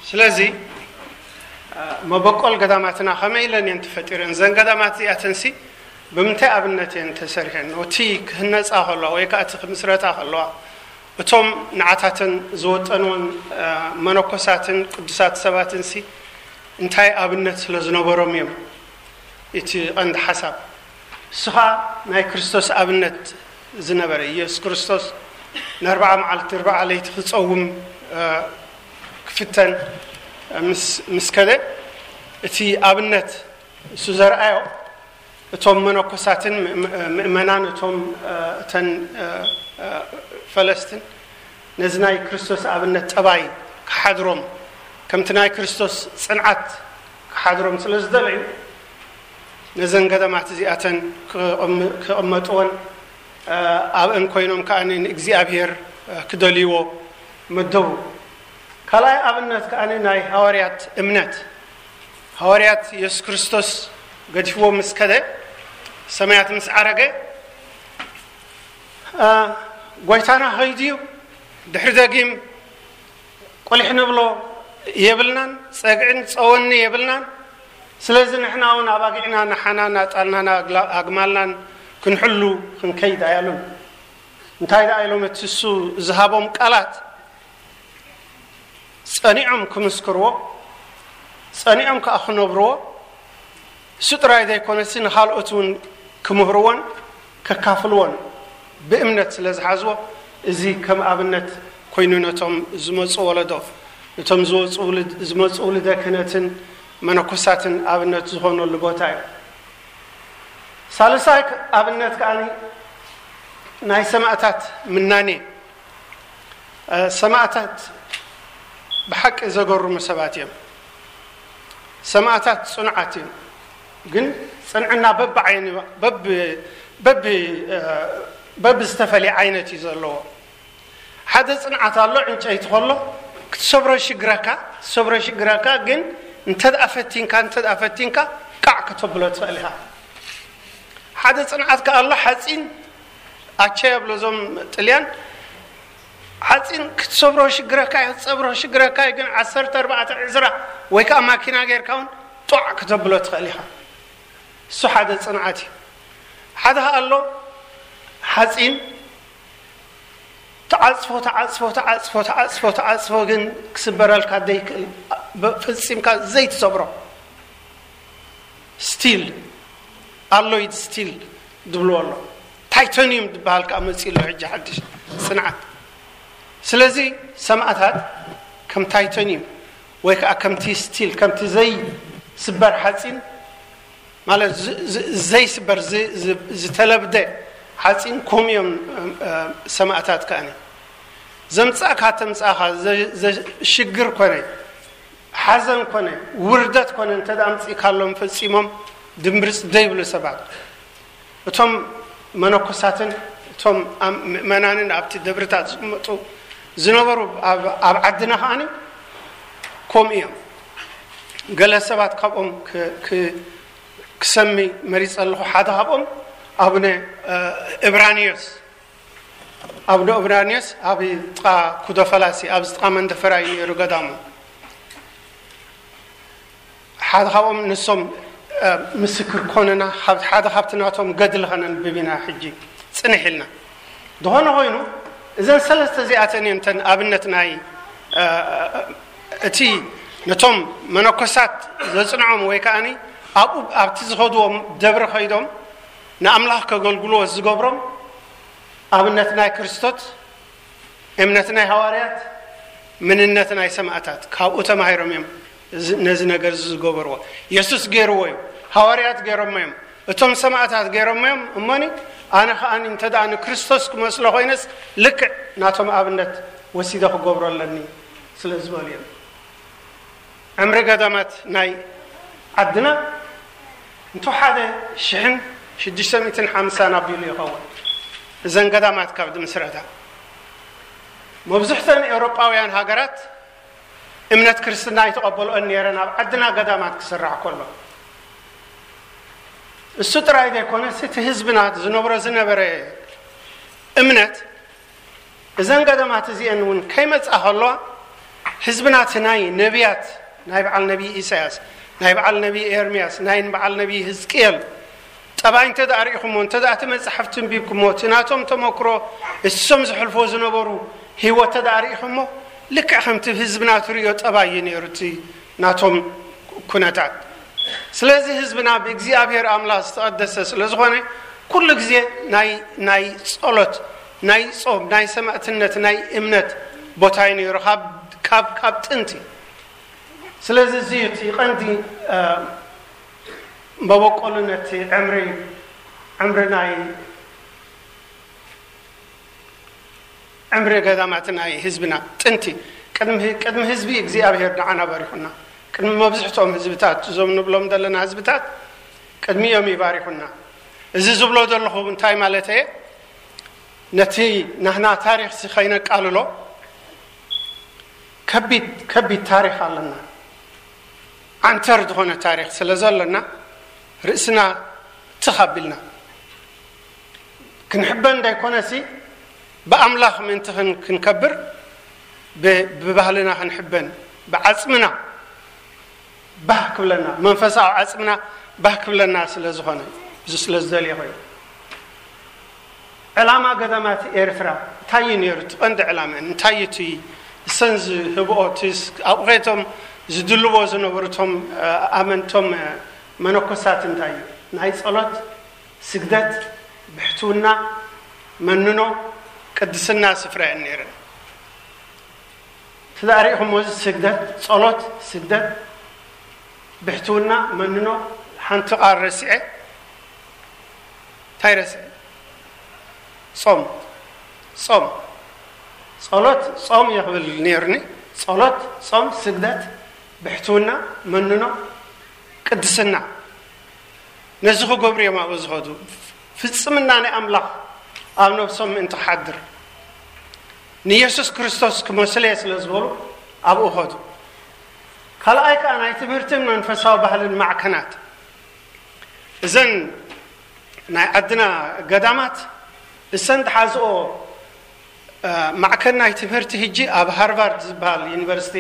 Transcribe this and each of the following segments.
ስለዚ መበቆል ገዳማትና ከመይ ኢለን እየን ተፈጢረን? እዘን ገዳማት እዚኣተንሲ ብምንታይ ኣብነት እየን ተሰሪሐን? እቲ ክህነፃ ከለዋ ወይ ከዓ እቲ ክምስረታ ከለዋ እቶም ንዓታተን ዝወጠንዎን መነኮሳትን ቅዱሳት ሰባትንሲ እንታይ ኣብነት ስለ ዝነበሮም እዮም? እቲ ቀንዲ ሓሳብ እሱ ኸዓ ናይ ክርስቶስ ኣብነት ዝነበረ ኢየሱስ ክርስቶስ ንኣርባዓ መዓልቲ ኣርባዓ ለይቲ ክፀውም ክፍተን ምስ ከደ እቲ ኣብነት እሱ ዘርኣዮ እቶም መነኮሳትን ምእመናን እቶም እተን ፈለስትን ነዚ ናይ ክርስቶስ ኣብነት ጠባይ ክሓድሮም ከምቲ ናይ ክርስቶስ ፅንዓት ክሓድሮም ስለ ዝደለዩ ነዘን ገዳማት እዚኣተን ክቕመጥዎን ኣብአን ኮይኖም ከዓ ንእግዚኣብሔር ክደልይዎ መደቡ። ካልኣይ ኣብነት ከዓ ናይ ሃዋርያት እምነት። ሃዋርያት የሱስ ክርስቶስ ገዲፍዎ ምስ ከደ ሰማያት ምስ ዓረገ ጎይታና ኸይዱ እዩ። ድሕሪ ደጊም ቁሊሕ ንብሎ የብልናን፣ ጸግዕን ጸወኒ የብልናን። ስለዚ ንሕና እውን ኣባጊዕና ንሓና ናጣልናን ኣግማልናን ክንሕሉ ክንከይድ ኣያሉን። እንታይ ደኣ ኢሎም እቲ እሱ ዝሃቦም ቃላት ጸኒዖም ክምስክርዎ፣ ጸኒዖም ከዓ ክነብርዎ፣ እሱ ጥራይ ዘይኮነሲ ንኻልኦት እውን ክምህርዎን ከካፍልዎን ብእምነት ስለ ዝሓዝዎ፣ እዚ ከም ኣብነት ኮይኑ ነቶም ዝመፁ ወለዶ፣ ነቶም ዝወፁ ውልድ- ዝመፁ ውልደ ክህነትን መነኮሳትን ኣብነት ዝኾነሉ ቦታ እዩ። ሳልሳይ ኣብነት ከዓ ናይ ሰማእታት ምናኔ። ሰማእታት ብሓቂ ዘገርሙ ሰባት እዮም። ሰማእታት ጽኑዓት እዮም። ግን ጽንዕና በቢ ዓይኒ- በቢ- በቢ- በቢ ዝተፈልየ ዓይነት እዩ ዘለዎ። ሓደ ጽንዓት ኣሎ፣ ዕንጨይቲ ከሎ ክትሰብሮ ይሽግረካ፣ ክትሰብሮ ይሽግረካ። ግን እንተ ደኣ ፈቲንካ፣ እንተ ደኣ ፈቲንካ፣ ቃዕ ከተብሎ ትኽእል ኢኻ። ሓደ ጽንዓት ከኣ ኣሎ፣ ሓጺን ኣቸ የብሎ እዞም ጥልያን። ሓጺን ክትሰብሮ ሽግረካ እዩ፣ ክትጸብሮ ሽግረካ እዩ፣ ግን ዓሰርተ ኣርባዕተ ዕዝራ ወይ ከኣ ማኪና ጌርካ እውን ጧዕ ክተብሎ ትኽእል ኢኻ። እሱ ሓደ ጽንዓት እዩ። ሓደ ከኣ ኣሎ፣ ሓጺን ተዓጽፎ፣ ተዓጽፎ፣ ተዓጽፎ፣ ተዓጽፎ፣ ተዓጽፎ፣ ግን ክስበረልካ ዘይክእል፣ ብ- ፈጺምካ ዘይትሰብሮ። ስቲል፣ ኣሎይድ ስቲል ዝብልዎ ኣሎ። ታይቶኒየም ዝበሃል ከዓ መፂኡ ኣሎ ሕጂ ሓድሽ ጽንዓት። ስለዚ ሰማእታት ከም ታይቶኒየም ወይ ከዓ ከምቲ ስቲል፣ ከምቲ ዘይስበር ሓፂን ማለት ዝ- ዝ- ዘይስበር ዝ- ዝ- ዝተለብደ ሓፂን ከምኡ እዮም። እም፣ እም፣ ሰማእታት ከኣኒ ዘምፃእካ ተምፃእካ ዘ- ዘ- ሽግር ኮነ ሓዘን ኮነ ውርደት ኮነ እንተ ኣምፂእካሎም ፈፂሞም ድምብርፅ ዘይብሉ ሰባት። እቶም መነኮሳትን እቶም ኣም- ምእመናንን ኣብቲ ደብርታት ዝቕመጡ ዝነበሩ ኣብ- ኣብ ዓድና ከኣኒ ከምኡ እዮም። ገለ ሰባት ካብኦም ክ- ክ- ክሰሚ መሪፀ ኣለኹ። ሓደ ካብኦም ኣቡነ እ፣ እብራንዮስ፣ ኣቡነ እብራንዮስ ኣብ ጥቓ ኩዶ ፈላሲ፣ ኣብዚ ጥቓ መንደፈራ እዩ ነይሩ ገዳሙ። ሓደ ካብኦም ንሶም እ፣ ምስክር ኮነና፣ ካብ- ሓደ ካብቲ ናቶም ገድሊ ከነንብብ ኢና ሕጂ ፅንሕ ኢልና። ዝኾነ ኮይኑ እዘን ሰለስተ እዚኣተን እየን እተን ኣብነት ናይ እ፣ እቲ ነቶም መነኮሳት ዘፅንዖም ወይ ከዓኒ ኣብኡ ኣብቲ ዝኸድዎም ደብሪ ከይዶም ንኣምላኽ ከገልግልዎ ዝገብሮም ኣብነት ናይ ክርስቶስ፣ እምነት ናይ ሃዋርያት፣ ምንነት ናይ ሰማእታት ካብኡ ተማሂሮም እዮም እዚ- ነዚ ነገር እዚ ዝገበርዎ። የሱስ ገይርዎ እዩ፣ ሃዋርያት ገይሮሞ እዮም፣ እቶም ሰማእታት ገይሮሞ እዮም። እሞኒ ኣነ ከኣ እንተ ደኣ ንክርስቶስ ክመስሎ ኮይነስ ልክዕ ናቶም ኣብነት ወሲደ ክገብሮ ኣለኒ ስለ ዝበሉ እዮም። ዕምሪ ገዳማት ናይ ዓድና እንተ ሓደ ሽሕን ሽዱሽተ ሚእትን ሓምሳን ኣቢሉ ይኸውን። እዘን ገዳማት ካብ ድምስረታ መብዝሕተን ኤውሮጳውያን ሃገራት እምነት ክርስትና ኣይተቐበልኦን ነይረን ኣብ ዓድና ገዳማት ክስራሕ ከሎ። እሱ ጥራይ ዘይኮነስ እቲ ህዝብና ዝነብሮ ዝነበረ እምነት እዘን ገዳማት እዚአን እውን ከይመጻ ከለዋ፣ ህዝብና እቲ ናይ ነቢያት፣ ናይ በዓል ነቢይ ኢሳያስ፣ ናይ በዓል ነቢይ ኤርምያስ፣ ናይ በዓል ነቢይ ህዝቅኤል ጠባይ እንተ ደኣ ርኢኹሞ፣ እንተ ደኣ እቲ መጽሓፍቲ ኣንቢብኩሞ፣ እቲ ናቶም ተመክሮ፣ እሶም ዝሕልፎ ዝነበሩ ህይወት እንተ ደኣ ርኢኹሞ፣ ልክዕ ከምቲ ህዝብና ትርእዮ ጠባይ እዩ ነይሩ እቲ ናቶም ኩነታት። ስለዚ ህዝብና ብእግዚኣብሔር ኣምላኽ ዝተቐደሰ ስለ ዝኾነ፣ ኩሉ ግዜ ናይ፣ ናይ ጸሎት፣ ናይ ጾም፣ ናይ ሰማእትነት፣ ናይ እምነት ቦታ እዩ ነይሩ ካብ፣ ካብ፣ ካብ ጥንቲ። ስለዚ እዚ እዩ እቲ ቀንዲ፣ እ፣ መበቆሉ ነቲ ዕምሪ፣ ዕምሪ ናይ፣ ዕምሪ ገዳማት ናይ ህዝብና ጥንቲ። ቅድሚ፣ ቅድሚ ህዝቢ እግዚኣብሔር ንዓና ባሪኹና። ቅድሚ መብዝሕትኦም ህዝብታት፣ እዞም ንብሎም ዘለና ህዝብታት ቅድሚኦም እዩ ባሪኹና። እዚ ዝብሎ ዘለኹ እንታይ ማለት እየ? ነቲ ናህና ታሪኽ ሲ ከይነቃልሎ፣ ከቢድ፣ ከቢድ ታሪኽ ኣለና። ዓንተር ዝኾነ ታሪኽ ስለ ዘለና፣ ርእስና ትኽ ኣቢልና ክንሕበን እንዳይኮነሲ፣ ብኣምላኽ ምእንቲ ክን-፣ ክንከብር፣ ብ-፣ ብባህልና ክንሕበን፣ ብዓጽምና ባህ ክብለና፣ መንፈሳዊ ዓጽምና ባህ ክብለና ስለ ዝኾነ፣ እዚ ስለ ዝደልየ ኮይኑ። ዕላማ ገዳማት ኤርትራ እንታይ እዩ ነይሩ? እቲ ቀንዲ ዕላማ እንታይ እዩ? እቲ እሰን ዝህብኦ፣ እቲ ስ-፣ ኣብኡ ከይቶም ዝድልዎ ዝነበሩ እቶም፣ እ፣ ኣመንቶም፣ እ፣ መነኮሳት እንታይ እዩ? ናይ ጸሎት፣ ስግደት፣ ብሕትውና፣ መንኖ፣ ቅድስና ስፍራ እየን ነይረን። እቲ ደኣ ርኢኹሞ፣ እዚ ስግደት፣ ጸሎት፣ ስግደት፣ ብሕትውና፣ መንኖ፣ ሓንቲ ቃል ረሲዐ፣ እንታይ ረሲዐ? ጾም። ጾም። ጸሎት፣ ጾም እየ ክብል ነይሩኒ። ጸሎት፣ ጾም፣ ስግደት፣ ብሕትውና፣ መንኖ፣ ቅድስና። ነዚ ክገብሩ እዮም ኣብኡ ዝኸዱ። ፍጽምና ናይ ኣምላኽ ኣብ ነብሶም ምእንቲ ክሓድር፣ ንየሱስ ክርስቶስ ክመስሉ እየ ስለ ዝበሉ ኣብኡ ኸዱ። ካልኣይ ከኣ ናይ ትምህርትን መንፈሳዊ ባህልን ማዕከናት። እዘን ናይ ዓድና ገዳማት እሰን ዝሓዝኦ፣ እ፣ ማዕከን ናይ ትምህርቲ ህጂ ኣብ ሃርቫርድ ዝበሃል ዩኒቨርሲቲ፣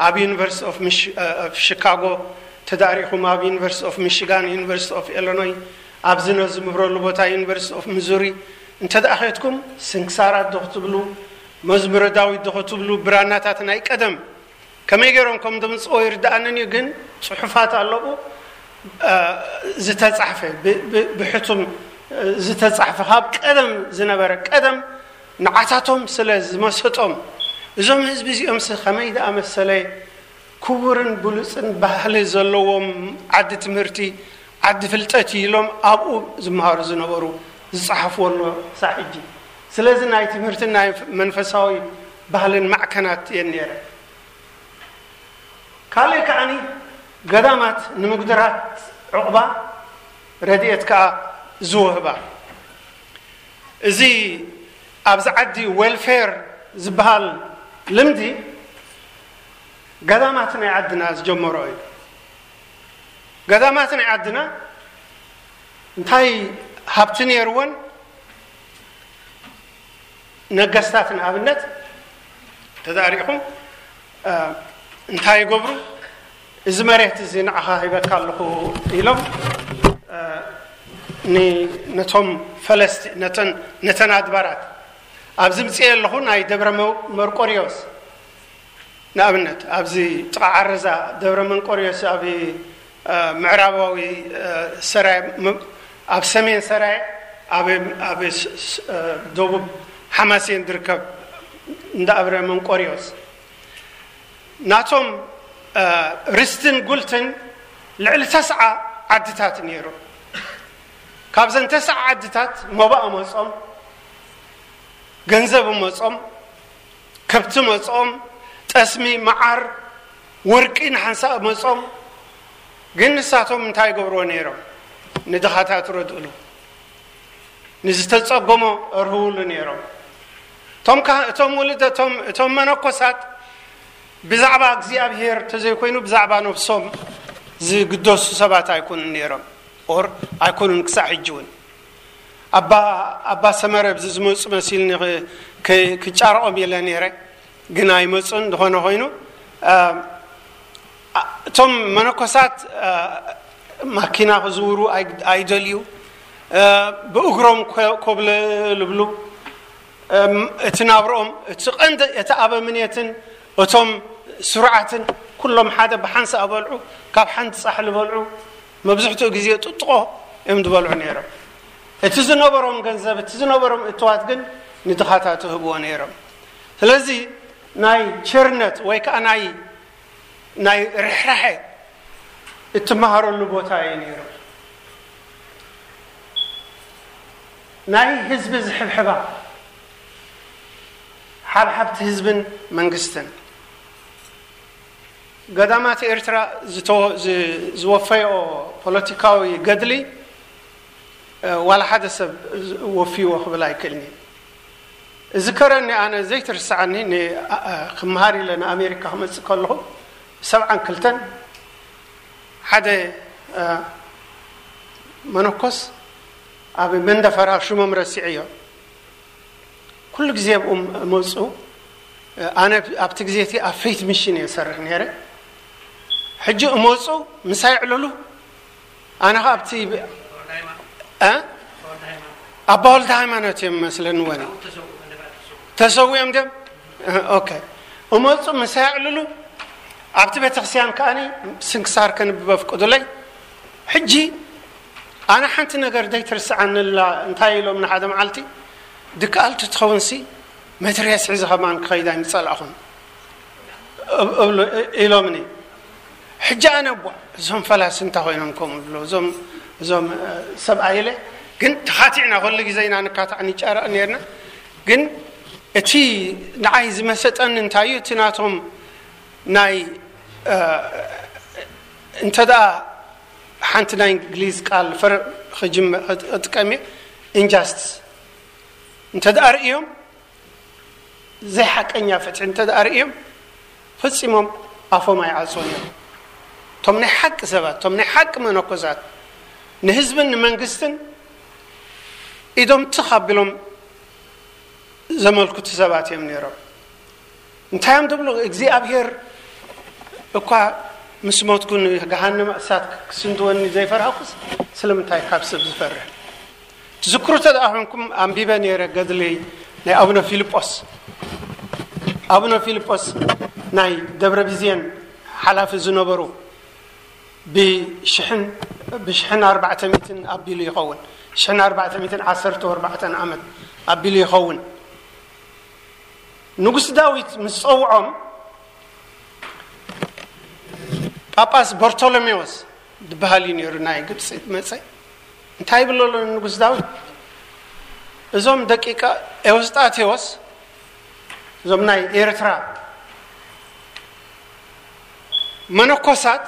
ኣብ ዩኒቨርሲቲ ኦፍ ሚሽ-፣ እ፣ ኦፍ ሺካጎ ተዳሪኹም፣ ኣብ ዩኒቨርሲቲ ኦፍ ሚሽጋን፣ ዩኒቨርሲቲ ኦፍ ኢሎኖይ፣ ኣብዚ ነዝምህረሉ ቦታ ዩኒቨርሲቲ ኦፍ ሚዙሪ እንተ ደኣ ኸድኩም፣ ስንክሳራት ዶ ክትብሉ፣ መዝሙረ ዳዊት ዶ ክትብሉ፣ ብራናታት ናይ ቀደም ከመይ ገይሮም ከም ዘምጽኦ ይርድኣንን እዩ፣ ግን ጽሑፋት ኣለዉ፣ እ፣ ዝተጻሕፈ፣ ብ-፣ ብ-፣ ብሕቱም፣ እ፣ ዝተጻሕፈ ካብ ቀደም ዝነበረ፣ ቀደም ንዓታቶም ስለ ዝመሰጦም፣ እዞም ህዝቢ እዚኦምስ ከመይ ደኣ መሰለ ክቡርን ብሉጽን ባህሊ ዘለዎም፣ ዓዲ ትምህርቲ፣ ዓዲ ፍልጠት እዩ ኢሎም ኣብኡ ዝመሃሩ ዝነበሩ ዝጸሓፍዎ ኣሎ ክሳዕ ሕጂ። ስለዚ ናይ ትምህርትን ናይ መንፈሳዊ ባህልን ማዕከናት እየን ነይረን። ካልእ ከዓኒ ገዳማት ንምጉድራት ዕቑባ ረድኤት ከኣ ዝወህባ። እዚ ኣብዚ ዓዲ ዌልፌር ዝበሃል ልምዲ ገዳማት ናይ ዓድና ዝጀመሮ እዩ። ገዳማት ናይ ዓድና እንታይ ሃብቲ ነይርወን? ነገስታት ንኣብነት ተዛሪኹም፣ እ፣ እንታይ ይገብሩ? "እዚ መሬት እዚ ንዓኻ ሂበካ ኣለኹ" ኢሎም፣ እ፣ ን-፣ ነቶም ፈለስቲ፣ ነተን፣ ነተን ኣድባራት ኣብዚ ምጽኤ ኣለኹ፣ ናይ ደብረ መ-፣ መርቆሪዎስ ንኣብነት፣ ኣብዚ ጥቓ ዓረዛ ደብረ መንቆርዮስ፣ ኣብ፣ እ፣ ምዕራባዊ፣ እ፣ ሰራየ፣ ም-፣ ኣብ ሰሜን ሰራየ፣ ኣብ፣ ኣብ ስ-፣ ስ-፣ እ፣ ደቡብ ሓማሴን ዝርከብ እንዳ ኣብረ መንቆርዮስ፣ ናቶም፣ እ፣ ርስትን ጉልትን ልዕሊ ተስዓ ዓድታት ነይሩ። ካብዘን ተስዓ ዓድታት መባእ መጾም፣ ገንዘብ መጾም፣ ከብቲ መጾም፣ ጠስሚ፣ መዓር፣ ወርቂ ንሓንሳእ መጾም። ግን ንሳቶም እንታይ ይገብርዎ ነይሮም? ንድኻታት ረድእሉ፣ ንዝተጸገሞ እርህውሉ ነይሮም። እቶም ካህ-፣ እቶም ውልደቶም፣ እቶም መነኮሳት ብዛዕባ እግዚኣብሔር ተዘይኮይኑ ብዛዕባ ነብሶም ዝግደሱ ሰባት ኣይኮኑን ነይሮም። ኦር ኣይኮኑን ክሳዕ ሕጂ እውን። ኣባ፣ ኣባ ሰመረ ብዚ ዝመጹ መሲልኒ ኽ-፣ ክጫረቆም ኢለ ነይረ፣ ግን ኣይመፁን። ዝኾነ ኮይኑ እቶም መነኮሳት ማኪና ክዝውሩ ኣይደልዩ፣ ብእግሮም ኮብለል ይብሉ። እቲ ናብርኦም እቲ ቀንዲ እቲ ኣበምኔትን እቶም ስሩዓትን ኩሎም ሓደ ብሓንሳእ በልዑ፣ ካብ ሓንቲ ፃሕሊ በልዑ። መብዝሕትኡ ግዜ ጥጥቆ እዮም ዝበልዑ ነይሮም። እቲ ዝነበሮም ገንዘብ፣ እቲ ዝነበሮም እትዋት ግን ንድኻታት ይህብዎ ነይሮም። ስለዚ ናይ ቸርነት ወይ ከዓ ናይ ናይ ርሕራሐ እትመሃረሉ ቦታ እዩ ነይሩ። ናይ ህዝቢ ዝሕብሕባ ሓብሓብቲ ህዝብን መንግስትን ገዳማት ኤርትራ ዝወፈዮ ፖለቲካዊ ገድሊ ዋላ ሓደ ሰብ ወፊዎ ክብል ኣይክእልኒ። እዚ ከረኒ ኣነ ዘይትርስዓኒ ክመሃር ኢለ ንኣሜሪካ ክመፅእ ከለኹ ሰብዓን ክልተን ሓደ መነኮስ ኣብ መንደፈራ ሽሞም ረሲዐዮ። ኩሉ ግዜ ኣብኡ መፁ። ኣነ ኣብቲ ግዜ እቲ ኣብ ፌት ሚሽን እየ ሰርሕ ነይረ። ሕጂ እመፁ ምሳይ ዕልሉ ኣነ ከ ኣብቲ ኣባ ወልደ ሃይማኖት እዮም መስለኒ ወን ተሰዊኦም ድም ኦኬ እመፁ ምሳይ ዕልሉ ኣብቲ ቤተክርስትያን ከኣኒ ስንክሳር ከንብብ ኣፍቅዱለይ። ሕጂ ኣነ ሓንቲ ነገር ዘይትርስዓንላ እንታይ ኢሎም ንሓደ መዓልቲ ድከኣል ትትኸውንሲ መትርያስ ሒዘ ከማን ክኸይዳ ይምፀላእኹም ኢሎምኒ። ሕጂ ኣነ ቧ እዞም ፈላሲ እንታይ ኮይኖም ከምኡ ዝብሎ እዞም እዞም ሰብኣይ ኢለ ግን ተኻቲዕና ኩሉ ግዜ ኢና ንካታዕ ንጫረቕ ነርና። ግን እቲ ንዓይ ዝመሰጠኒ እንታይ እዩ እቲ ናቶም ናይ እንተ ደኣ ሓንቲ ናይ እንግሊዝ ቃል ፈር ክጥቀም እየ ኢንጃስትስ እንተ ደኣ ርእዮም ዘይሓቀኛ ፍትሒ እንተ ደኣ ርእዮም ፈጺሞም ኣፎም ኣይዓጽውን እዮም። እቶም ናይ ሓቂ ሰባት እቶም ናይ ሓቂ መነኮሳት ንህዝብን ንመንግስትን ኢዶም ትኽ ኣቢሎም ዘመልክቱ ሰባት እዮም ነይሮም። እንታይ እዮም ትብሉ እግዚኣብሔር እኳ ምስ ሞትኩ ንገሃነመ እሳት ክስንድወኒ ዘይፈራህኩስ ስለምንታይ ካብ ሰብ ዝፈርህ? ትዝክሩ ተደኣ ኮንኩም ኣንቢበ ነይረ ገድሊ ናይ ኣቡነ ፊልጶስ። ኣቡነ ፊልጶስ ናይ ደብረ ቢዝየን ሓላፊ ዝነበሩ ብሽሕን ብሽሕን ኣርባዕተ ሚእትን ኣቢሉ ይኸውን። ሽሕን ኣርባዕተ ሚእትን ዓሰርተ ኣርባዕተን ዓመት ኣቢሉ ይኸውን። ንጉስ ዳዊት ምስ ጸውዖም ጳጳስ በርቶሎሜዎስ ዝበሃል እዩ ነይሩ ናይ ግብፂ መፀ። እንታይ ይብሎ ኣሎ ንጉስ ዳዊት? እዞም ደቂቀ ኤውስጣቴዎስ እዞም ናይ ኤርትራ መነኮሳት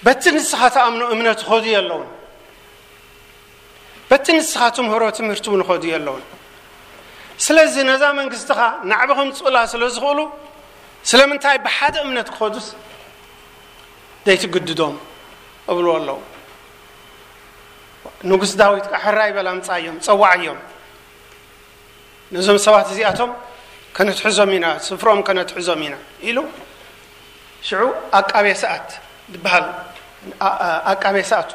በቲ ንስኻ ተኣምኖ እምነት ኾዱ የለውን በቲ ንስኻ ትምህሮ ትምህርቲ እውን ኾዱ የለውን። ስለዚ ነዛ መንግስትኻ ናዕቢ ከምፅኡላ ስለ ዝኽእሉ ስለምንታይ ብሓደ እምነት ክኸዱስ ዘይትግድዶም እብልዎ ኣለዉ። ንጉስ ዳዊት ከዓ ሕራይ በል ኣምፃዮም ፀዋዓዮም ነዞም ሰባት እዚኣቶም ከነትሕዞም ኢና ስፍሮም ከነትሕዞም ኢና ኢሉ ሽዑ ኣቃቤ ሰኣት ዝበሃል ኣቃቤ ሰኣት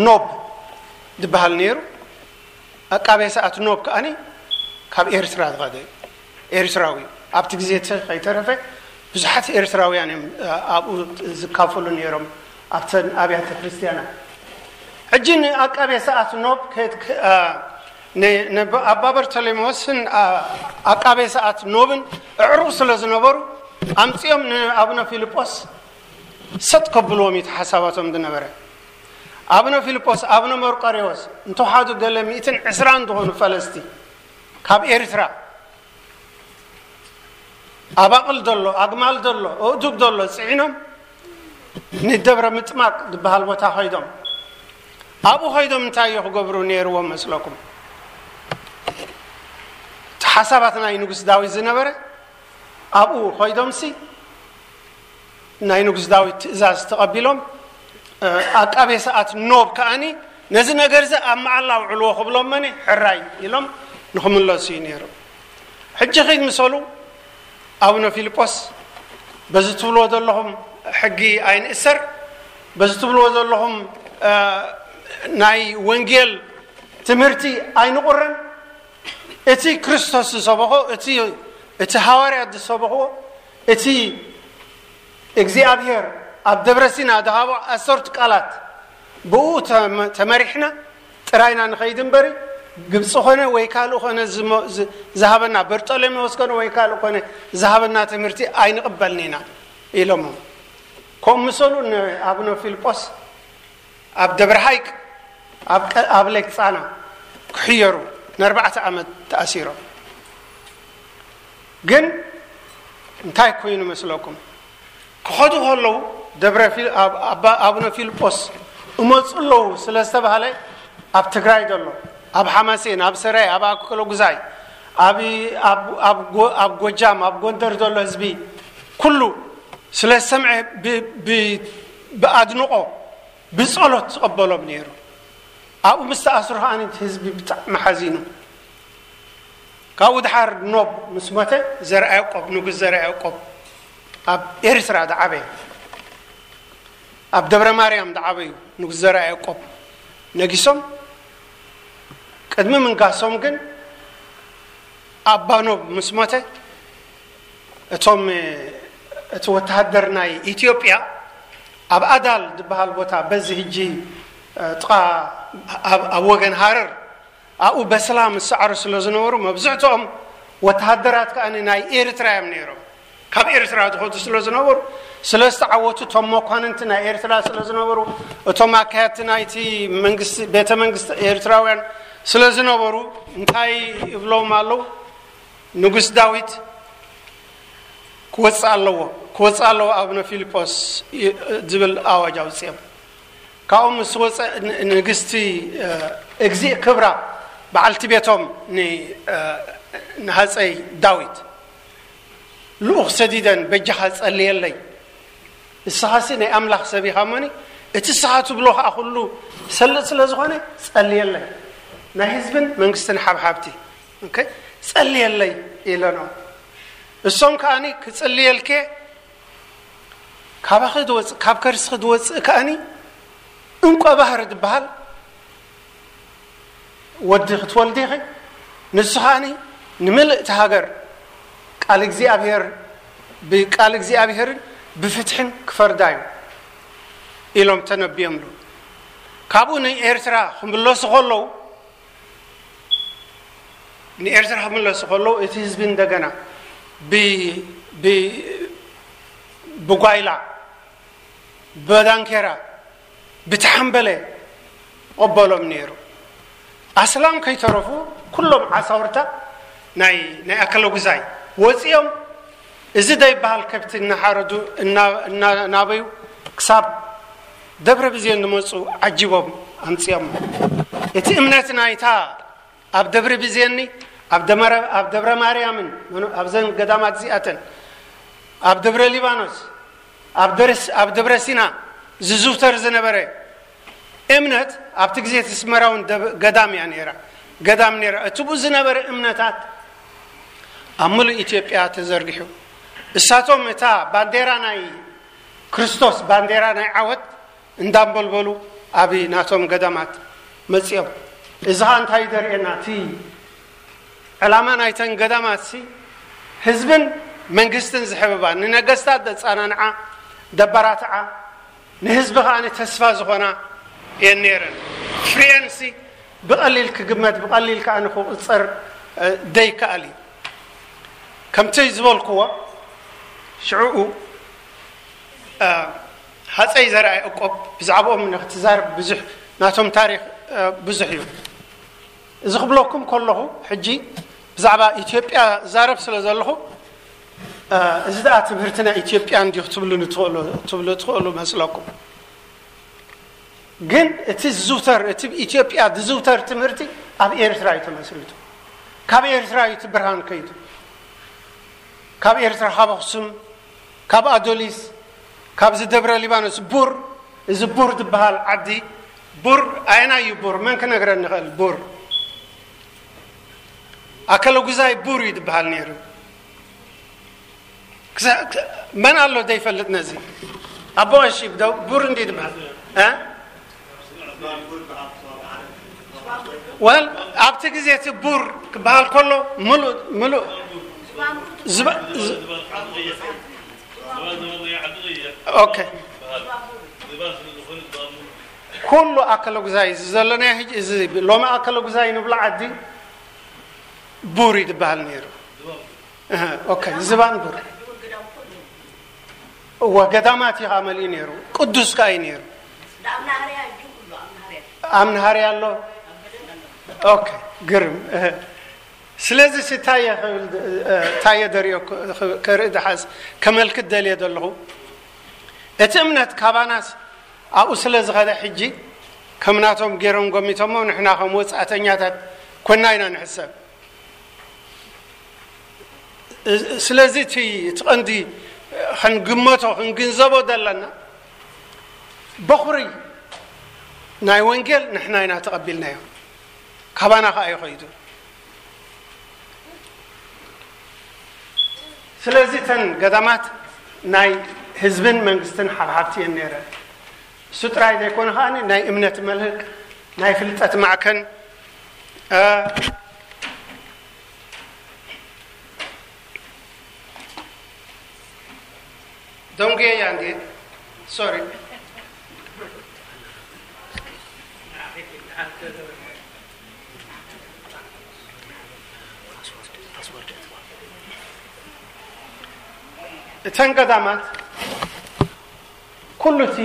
ኖብ ዝበሃል ነይሩ። ኣቃቤ ሰኣት ኖብ ከኣኒ ካብ ኤርትራ ዝኸደ ኤርትራዊ ኣብቲ ግዜ ከይተረፈ ብዙሓት ኤርትራውያን እዮም ኣብኡ ዝካፈሉ ነይሮም ኣብተን ኣብያተ ክርስትያናት። ሕጂ ንኣቃቤ ሰኣት ኖብ ኣባ በርተሌሞስን ኣቃቤ ሰኣት ኖብን እዕሩቕ ስለ ዝነበሩ ኣምፅኦም ንኣቡነ ፊልጶስ ሰጥ ከብልዎም እዩ ሓሳባቶም ዝነበረ። ኣቡነ ፊልጶስ ኣቡነ መርቆሬዎስ እንተውሓዱ ገለ ሚእትን ዕስራን ዝኾኑ ፈለስቲ ካብ ኤርትራ ኣባቕል ዘሎ ኣግማል ዘሎ ኣእዱግ ዘሎ ፅዒኖም ንደብረ ምጥማቅ ዝበሃል ቦታ ኸይዶም ኣብኡ ኸይዶም እንታይ እዩ ክገብሩ ነይርዎም መስለኩም? እቲ ሓሳባት ናይ ንጉስ ዳዊት ዝነበረ ኣብኡ ኸይዶምሲ ናይ ንጉስ ዳዊት ትእዛዝ ተቐቢሎም ኣቃቤ ሰኣት ኖብ ከኣኒ ነዚ ነገር እዚ ኣብ መዓላ ውዕልዎ ክብሎም መኒ ሕራይ ኢሎም ንኽምለሱ እዩ ነይሩ። ሕጂ ኺድ ምሰሉ ኣቡነ ፊልጶስ፣ በዚ ትብልዎ ዘለኹም ሕጊ ኣይንእሰር፣ በዚ ትብልዎ ዘለኹም እ፣ ናይ ወንጌል ትምህርቲ ኣይንቑረን። እቲ ክርስቶስ ዝሰበኾ፣ እቲ እቲ ሃዋርያት ዝሰበኽዎ፣ እቲ እግዚኣብሔር ኣብ ደብረ ሲና ዝሃቦ ኣሰርቱ ቃላት፣ ብኡ ተመ- ተመሪሕና ጥራይና ንኸይድ እምበሪ፣ ግብፂ ኾነ ወይ ካልእ ኾነ ዝሞ- ዝ- ዝሃበና፣ በርጠሎሜዎስ ኮነ ወይ ካልእ ኮነ ዝሃበና ትምህርቲ ኣይንቕበልን ኢና ኢሎሞ። ከምኡ ምሰሉ ንኣቡነ ፊልጶስ ኣብ ደብረ ሃይቅ ኣብ ቀ- ኣብ ሌክ ፃና ክሕየሩ ንኣርባዕተ ዓመት ተኣሲሮም። ግን እንታይ ኮይኑ መስለኩም? ክኸዱ ከለዉ ደብረ ፊል- ኣብ- ኣባ- ኣቡነ ፊልጶስ እመፁ ኣለዉ ስለ ዝተባህለ፣ ኣብ ትግራይ ዘሎ፣ ኣብ ሓማሴን፣ ኣብ ሰራይ፣ ኣብ ኣክለጉዛይ፣ ኣብ ኣብ- ኣብ ጎ- ኣብ ጎጃም፣ ኣብ ጎንደር ዘሎ ህዝቢ ኩሉ ስለ ዝሰምዐ፣ ብ- ብ- ብኣድንቆ ብጸሎት ዝቐበሎም ነይሩ። ኣብኡ ምስ ተኣስሩ ከኣ እቲ ህዝቢ ብጣዕሚ ሓዚኑ። ካብኡ ድሓር ኖብ ምስ ሞተ፣ ዘርኣ ያዕቆብ፣ ንጉስ ዘርኣ ያዕቆብ ኣብ ኤርትራ ዝዓበየ፣ ኣብ ደብረ ማርያም ዝዓበዩ ንጉስ ዘርኣ ያዕቆብ ነጊሶም። ቅድሚ ምንጋሶም ግን ኣባ ኖብ ምስ ሞተ፣ እቶም እቲ ወተሃደር ናይ ኢትዮጵያ ኣብ ኣዳል ዝበሃል ቦታ፣ በዚ ሕጂ ጥቓ ኣብ ኣብ ወገን ሃረር ኣብኡ በሰላም ዝሰዓሩ ስለ ዝነበሩ፣ መብዝሕትኦም ወተሃደራት ከኣ ናይ ኤርትራ እዮም ነይሮም። ካብ ኤርትራ ዝኸዱ ስለ ዝነበሩ፣ ስለ ዝተዓወቱ፣ እቶም መኳንንቲ ናይ ኤርትራ ስለ ዝነበሩ፣ እቶም ኣካየድቲ ናይቲ መንግስቲ፣ ቤተ መንግስቲ ኤርትራውያን ስለ ዝነበሩ፣ እንታይ ይብሎም ኣለዉ? ንጉስ ዳዊት ክወፅእ ኣለዎ፣ ክወፅእ ኣለዎ ኣቡነ ፊልጶስ ይ- ዝብል ኣዋጅ ኣውፅኦም። ካብኡ ምስ ወፀ ን- ንግስቲ እ፣ እግዚእ ክብራ፣ በዓልቲ ቤቶም ን- እ፣ ንሃፀይ ዳዊት ልኡኽ ሰዲደን፣ በጃኻ ጸልየለይ፣ ንስኻሲ ናይ ኣምላኽ ሰብ ኢኻ እሞኒ፣ እቲ ንስኻ ትብሎ ኸኣ ኩሉ ሰልጥ ስለ ዝኾነ፣ ጸልየለይ፣ ናይ ህዝብን መንግስትን ሓብሓብቲ፣ ኦኬ፣ ጸልየለይ ኢለኖም። እሶም ከኣኒ፣ ክጽልየልኬ፣ ካባኺ ዝወጽእ፣ ካብ ከርስኺ ዝወጽእ ከኣኒ እንቋ ባህሪ ዝበሃል ወዲ ክትወልዲ ኢኺ፣ ንሱ ከኣኒ ንምልእቲ ሃገር ቃል እግዚኣብሔር፣ ብቃል እግዚኣብሔርን ብፍትሕን ክፈርዳ እዩ ኢሎም ተነብዮምሉ። ካብኡ ንኤርትራ ክምለሱ ከለዉ፣ ንኤርትራ ክምለሱ ከለዉ፣ እቲ ህዝቢ እንደገና ብ- ብ- ብጓይላ፣ ብዳንኬራ፣ ብተሓምበለ ይቕበሎም ነይሩ። ኣስላም ከይተረፉ፣ ኩሎም ዓሳውርታ ናይ ናይ ኣከለጉዛይ ወፂኦም፣ እዚ ዘይበሃል ከብቲ እናሓረዱ፣ እና- እናናበዩ፣ ክሳብ ደብረ ብዜን ዝመፁ ዓጂቦም ኣምፂኦም። እቲ እምነት ናይታ ኣብ ደብረ ብዜኒ፣ ኣብ ደመረ- ኣብ ደብረ ማርያምን፣ መኖ- ኣብዘን ገዳማት እዚኣተን፣ ኣብ ደብረ ሊባኖስ፣ ኣብ ደርስ- ኣብ ደብረ ሲና ዝዝውተር ዝነበረ እምነት፣ ኣብቲ ግዜ እቲ ስመራውን ደብ- ገዳም እያ ነይራ፣ ገዳም ነይራ። እቲ ብኡ ዝነበረ እምነታት ኣብ ምሉእ ኢትዮጵያ ተዘርጊሑ። እሳቶም እታ ባንዴራ ናይ ክርስቶስ፣ ባንዴራ ናይ ዓወት እንዳንበልበሉ ኣብ ናቶም ገዳማት መጺኦም። እዚ ኸኣ እንታይ እዩ ዘርእየና? እቲ ዕላማ ናይተን ገዳማትሲ ህዝብን መንግስትን ዝሕብባ፣ ንነገስታት ዘጸናንዓ፣ ዘበራትዓ፣ ንህዝቢ ኸኣ ተስፋ ዝኾና እየን ነይረን። ፍሬኤንሲ ብቐሊል ክግመት፣ ብቐሊል ከኣ ክቑጸር፣ እ፣ ዘይከኣል እዩ። ከምቲ ዝበልክዎ፣ ሽዑኡ፣ እ፣ ሃፀይ ዘርኣ ያዕቆብ፣ ብዛዕባኦም ንክትዛረብ ብዙሕ፣ ናቶም ታሪኽ፣ እ፣ ብዙሕ እዩ። እዚ ክብለኩም ከለኹ፣ ሕጂ ብዛዕባ ኢትዮጵያ ዛረብ ስለ ዘለኹ፣ እ፣ እዚ ደኣ ትምህርቲ ናይ ኢትዮጵያ እንዲዩ ክትብሉኒ ትኽእሉ፣ ትብሉ ትኽእሉ መስለኩም። ግን እቲ ዝዝውተር፣ እቲ ብኢትዮጵያ ዝዝውተር ትምህርቲ ኣብ ኤርትራ እዩ ተመስሪቱ። ካብ ኤርትራ እዩ እቲ ብርሃን ከይዱ። ካብ ኤርትራ፣ ካብ ኣኽሱም፣ ካብ ኣዶሊስ፣ ካብዚ ደብረ ሊባኖስ፣ ቡር፣ እዚ ቡር ዝበሃል ዓዲ፣ ቡር ኣየናይ እዩ ቡር? መን ክነግረኒ ይኽእል? ቡር ኣከለጉዛይ ቡር እዩ ዝበሃል ነይሩ። ክሳ- ክሳ- መን ኣሎ ዘይፈልጥ ነዚ? ኣቦ ቀሺ ዶ ቡር እንዲ ዝበሃል? እ? ወል ኣብቲ ግዜ እቲ ቡር ክበሃል ከሎ፣ ምሉእ ምሉእ ዝባ- ዝ- ኦኬ። ኩሉ ኣከለጉዛይ እዚ ዘለናዮ ሕጂ፣ እዚ ሎሚ ኣከለጉዛይ ንብሎ ዓዲ ቡር እዩ ዝበሃል ነይሩ። እህ፣ ኦኬ፣ ዝባን ቡር። እወ፣ ገዳማት እዩ ከዓ መሊኡ ነይሩ። ቅዱስ ከዓ እዩ ነይሩ። ኣብ ናሃርያ ኣሎ። ኦኬ፣ ግርም። እህ። ስለዚ ሲ ታየ ክብል፣ እ፣ ታየ ደሪኦ ክ-፣ ክ-፣ ከርኢ ድሓስ ከመልክት ደልየ ዘለኹ። እቲ እምነት ካባናስ ኣብኡ ስለ ዝኸደ ሕጂ ከም ናቶም ገይሮም ጎሚቶሞ፣ ንሕና ከም ወጻእተኛታት ኮና ኢና ንሕሰብ። እ-፣ ስለዚ እቲ፣ እቲ ቀንዲ ክንግመቶ፣ ክንግንዘቦ ዘለና፣ በኹሪ ናይ ወንጌል ንሕና ኢና ተቐቢልናዮ። ካባና ከኣ እዩ ኸይዱ። ስለዚ እተን ገዳማት ናይ ህዝብን መንግስትን ሓብሓብቲ እየን ነይረን። እሱ ጥራይ ዘይኮነ ከኣ ናይ እምነት መልህቅ፣ ናይ ፍልጠት ማዕከን፣ እ፣ ደንጉየ እያ እንዴ? ሶሪ። እተን ገዳማት ኩሉ እቲ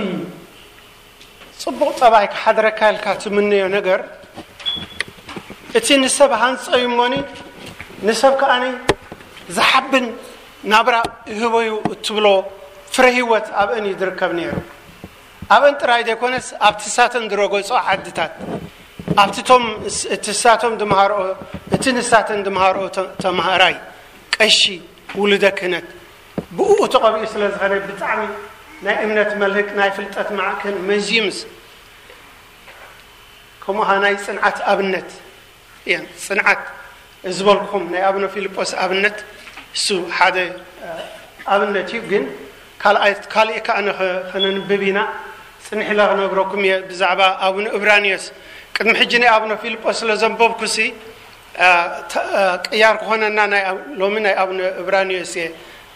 ጽቡቕ ጠባይ ክሓድረካ ኢልካ ትምነዮ ነገር፣ እቲ ንሰብ ሃንጾ እዩ እሞኒ፣ ንሰብ ከኣኒ ዝሓብን ናብራ ይህቦ እዩ እትብሎ ፍረ ህይወት ኣብአን እዩ ዝርከብ ነይሩ። ኣብአን ጥራይ ዘይኮነስ፣ ኣብቲ ሳተን ዝረገጾ ዓድታት፣ ኣብቲ ቶም ስ-፣ እቲ ሳቶም ዝመሃርኦ፣ እቲ ንሳተን ዝመሃርኦ ተ-፣ ተማሃራይ፣ ቀሺ፣ ውሉደ ክህነት፣ ብእኡ ተቐቢኡ ስለ ዝኸደ፣ ብጣዕሚ ናይ እምነት መልህቅ፣ ናይ ፍልጠት ማዕከን፣ መዝዩምስ፣ ከምኡ ኸኣ ናይ ጽንዓት ኣብነት እየን። ጽንዓት ዝበልኩኹም ናይ ኣቡነ ፊልጶስ ኣብነት እሱ ሓደ፣ እ፣ ኣብነት እዩ። ግን ካልኣይ፣ ካልእ ከኣ ንኸ-፣ ከነንብብ ኢና። ጽንሕ ኢለ ክነግረኩም እየ ብዛዕባ ኣቡነ እብራንዮስ። ቅድሚ ሕጂ ናይ ኣቡነ ፊልጶስ ስለ ዘንበብኩሲ፣ እ፣ ተ-፣ እ፣ ቅያር ክኾነና ናይ ኣብ-፣ ሎሚ ናይ ኣቡነ እብራንዮስ እየ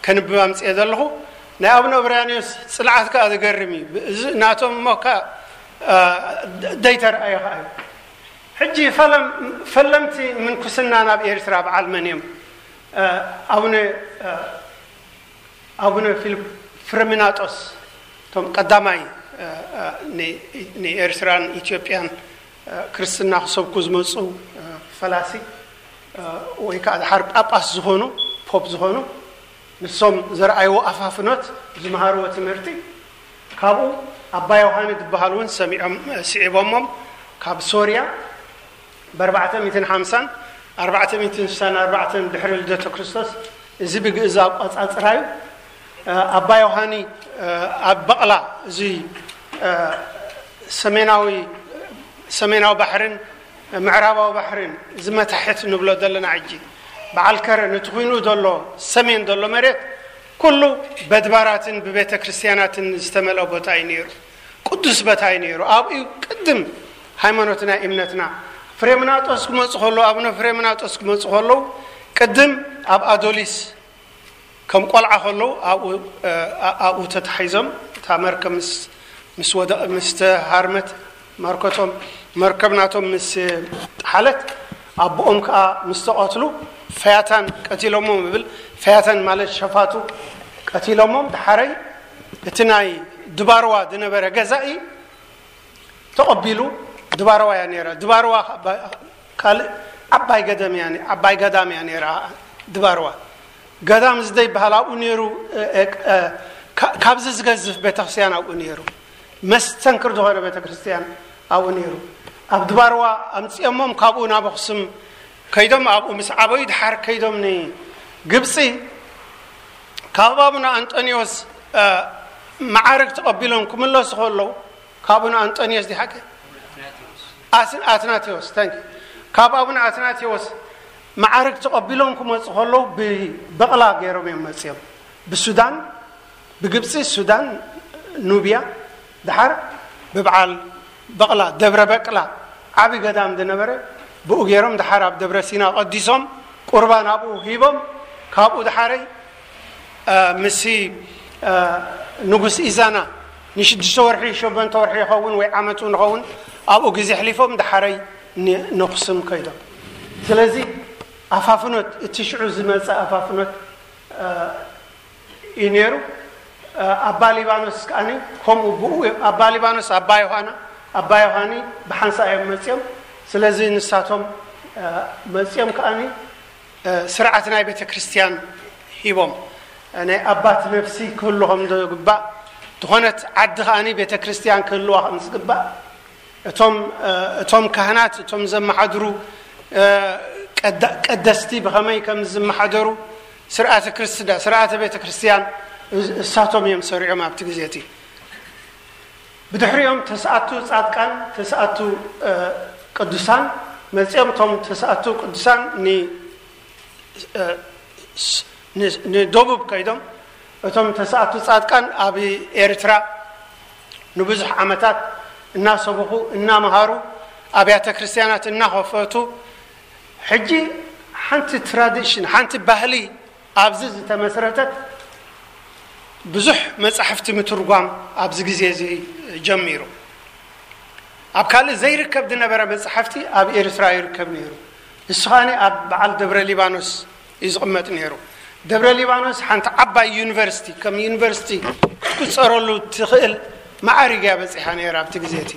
ከንብብ ኣምጽኤ ዘለኹ። ናይ ኣቡነ እብራንዮስ ጽንዓት ከኣ ዝገርም እዩ። ብ-፣ እዚ ናቶም እሞ ከኣ፣ እ፣ ደ-፣ ደይተረኣየ ከኣ እዩ። ሕጂ ፈለም-፣ ፈለምቲ ምንኩስና ናብ ኤርትራ በዓል መን እዮም? እ፣ ኣቡነ፣ እ፣ ኣቡነ ፊልፕ ፍሬምናጦስ፣ እቶም ቀዳማይ፣ እ፣ እ፣ ን-፣ ንኤርትራን ኢትዮጵያን፣ እ፣ ክርስትና ክሰብኩ ዝመጹ፣ እ፣ ፈላሲ፣ እ፣ ወይ ከዓ ድሓር ጳጳስ ዝኾኑ፣ ፖፕ ዝኾኑ፣ ንሶም ዘርኣይዎ ኣፋፍኖት፣ ዝመሃርዎ ትምህርቲ፣ ካብኡ ኣባ ዮሃኒ ዝበሃል እውን ሰሚዖም፣ ስዒቦሞም፣ ካብ ሶርያ ብ ኣርባዕተ ሚእትን ሓምሳን ኣርባዕተ ሚእትን ስሳን ኣርባዕተን ድሕሪ ልደተ ክርስቶስ፣ እዚ ብግእዝ ኣቋጻጽራ እዩ። ኣባ ዮሃኒ ኣብ በቕላ፣ እዚ ሰሜናዊ፣ ሰሜናዊ ባሕርን ምዕራባዊ ባሕርን፣ እዚ መታሕት ንብሎ ዘለና ሕጂ፣ በዓል ከረን እቲ ኩይኑ ዘሎ ሰሜን ዘሎ መሬት፣ ኩሉ በድባራትን ብቤተ ክርስቲያናትን ዝተመልአ ቦታ እዩ ነይሩ። ቅዱስ ቦታ እዩ ነይሩ። ኣብኡ እዩ ቅድም ሃይማኖትና፣ እምነትና። ፍሬምናጦስ ክመፁ ከለዉ፣ ኣቡነ ፍሬምናጦስ ክመፁ ከለዉ፣ ቅድም ኣብ ኣዶሊስ ከም ቆልዓ ከለዉ ኣብኡ፣ እ፣ ኣ-፣ ኣብኡ ተታሒዞም፣ እታ መርከብ ምስ፣ ምስ ወደ-፣ ምስ ተሃርመት፣ መርከቶም፣ መርከብ ናቶም ምስ ጠሓለት፣ ኣቦኦም ከኣ ምስ ተቐትሉ፣ ፈያታን ቀቲሎሞም ይብል። ፈያታን ማለት ሸፋቱ ቀቲሎሞም። ድሓረይ እቲ ናይ ድባርዋ ዝነበረ ገዛኢ ተቐቢሉ፣ ድባርዋ እያ ነይራ። ድባርዋ ካልእ ዓባይ ገደም እያ፣ ዓባይ ገዳም እያ ነይራ ድባርዋ። ገዳም ዝደይ በሃል ኣብኡ ነይሩ፣ እ፣ እ፣ እ፣ ካ-፣ ካብዚ ዝገዝፍ ቤተክርስትያን ኣብኡ ነይሩ። መስተንክር ዝኾነ ቤተክርስትያን ኣብኡ ነይሩ። ኣብ ድባርዋ ኣምጺኦሞም፣ ካብኡ ናብ ኣኽሱም ከይዶም፣ ኣብኡ ምስ ዓበዩ፣ ድሓር ከይዶም ንግብጺ፣ ካብ ኣቡነ ኣንጠንዮስ፣ እ፣ መዓርግ ተቐቢሎም ክምለሱ ከለዉ፣ ካብ ኣቡነ ኣንጠንዮስ ዲሓቂ? ኣስ-፣ ኣትናቴዎስ፣ ታንክ ዩ። ካብ ኣቡነ ኣትናቴዎስ መዓርግ ተቐቢሎም ክመፁ ከለዉ ብበቕላ ገይሮም እዮም መፅዮም። ብሱዳን፣ ብግብፂ፣ ሱዳን፣ ኑብያ፣ ድሓር ብበዓል በቕላ፣ ደብረ በቅላ፣ ዓቢ ገዳም ዝነበረ፣ ብኡ ገይሮም ድሓር ኣብ ደብረ ሲና ቀዲሶም፣ ቁርባን ኣብኡ ሂቦም፣ ካብኡ ድሓረይ፣ እ፣ ምሲ፣ እ፣ ንጉስ ኢዛና ንሽዱሽተ ወርሒ፣ ሸሞንተ ወርሒ ይኸውን ወይ ዓመት እውን ይኸውን፣ ኣብኡ ግዜ ኣሕሊፎም ድሓረይ ን-፣ ነኹስም ከይዶም። ስለዚ ኣፋፍኖት፣ እቲ ሽዑ ዝመጸ ኣፋፍኖት፣ እ፣ እዩ ነይሩ። እ፣ ኣባ ሊባኖስ ከኣኒ ከምኡ ብኡ፣ ኣባ ሊባኖስ፣ ኣባ ዮሃና፣ ኣባ ዮሃኒ ብሓንሳእ እዮም መጺኦም። ስለዚ ንሳቶም፣ እ፣ መጺኦም ከኣኒ፣ እ፣ ስርዓት ናይ ቤተ ክርስቲያን ሂቦም። እ፣ ናይ ኣባት ነፍሲ ክህሉ ከም ዝግባእ፣ ዝኾነት ዓዲ ከኣኒ ቤተ ክርስቲያን ክህልዋ ከም ዝግባእ፣ እቶም፣ እ፣ እቶም ካህናት፣ እቶም ዘመሓድሩ፣ እ፣ ቀዳ-፣ ቀደስቲ ብኸመይ ከም ዝመሓደሩ፣ ስርዓተ ክርስዳ-፣ ስርዓተ ቤተ ክርስቲያን እስ-፣ እሳቶም እዮም ሰሪዖም ኣብቲ ግዜ እቲ። ብድሕሪኦም ተስኣቱ ጻድቃን፣ ተስኣቱ፣ እ፣ ቅዱሳን መጺኦም። እቶም ተስኣቱ ቅዱሳን ን-፣ እ፣ ስ-፣ ን-፣ ንደቡብ ከይዶም፣ እቶም ተስኣቱ ጻድቃን ኣብ ኤርትራ ንብዙሕ ዓመታት እናሰበኹ፣ እናመሃሩ፣ ኣብያተ ክርስቲያናት እናኸፈቱ፣ ሕጂ ሓንቲ ትራዲሽን፣ ሓንቲ ባህሊ ኣብዚ ዝተመስረተት፣ ብዙሕ መጻሕፍቲ ምትርጓም ኣብዚ ግዜ እዚ ጀሚሩ። ኣብ ካልእ ዘይርከብ ዝነበረ መጻሕፍቲ ኣብ ኤርትራ ይርከብ ነይሩ። እሱ ኸኣኒ ኣብ በዓል ደብረ ሊባኖስ እዩ ዝቕመጥ ነይሩ። ደብረ ሊባኖስ ሓንቲ ዓባይ ዩኒቨርሲቲ፣ ከም ዩኒቨርሲቲ ክትቁጸረሉ ትኽእል መዓርግ እያ በጺሓ ነይራ ኣብቲ ግዜ እቲ።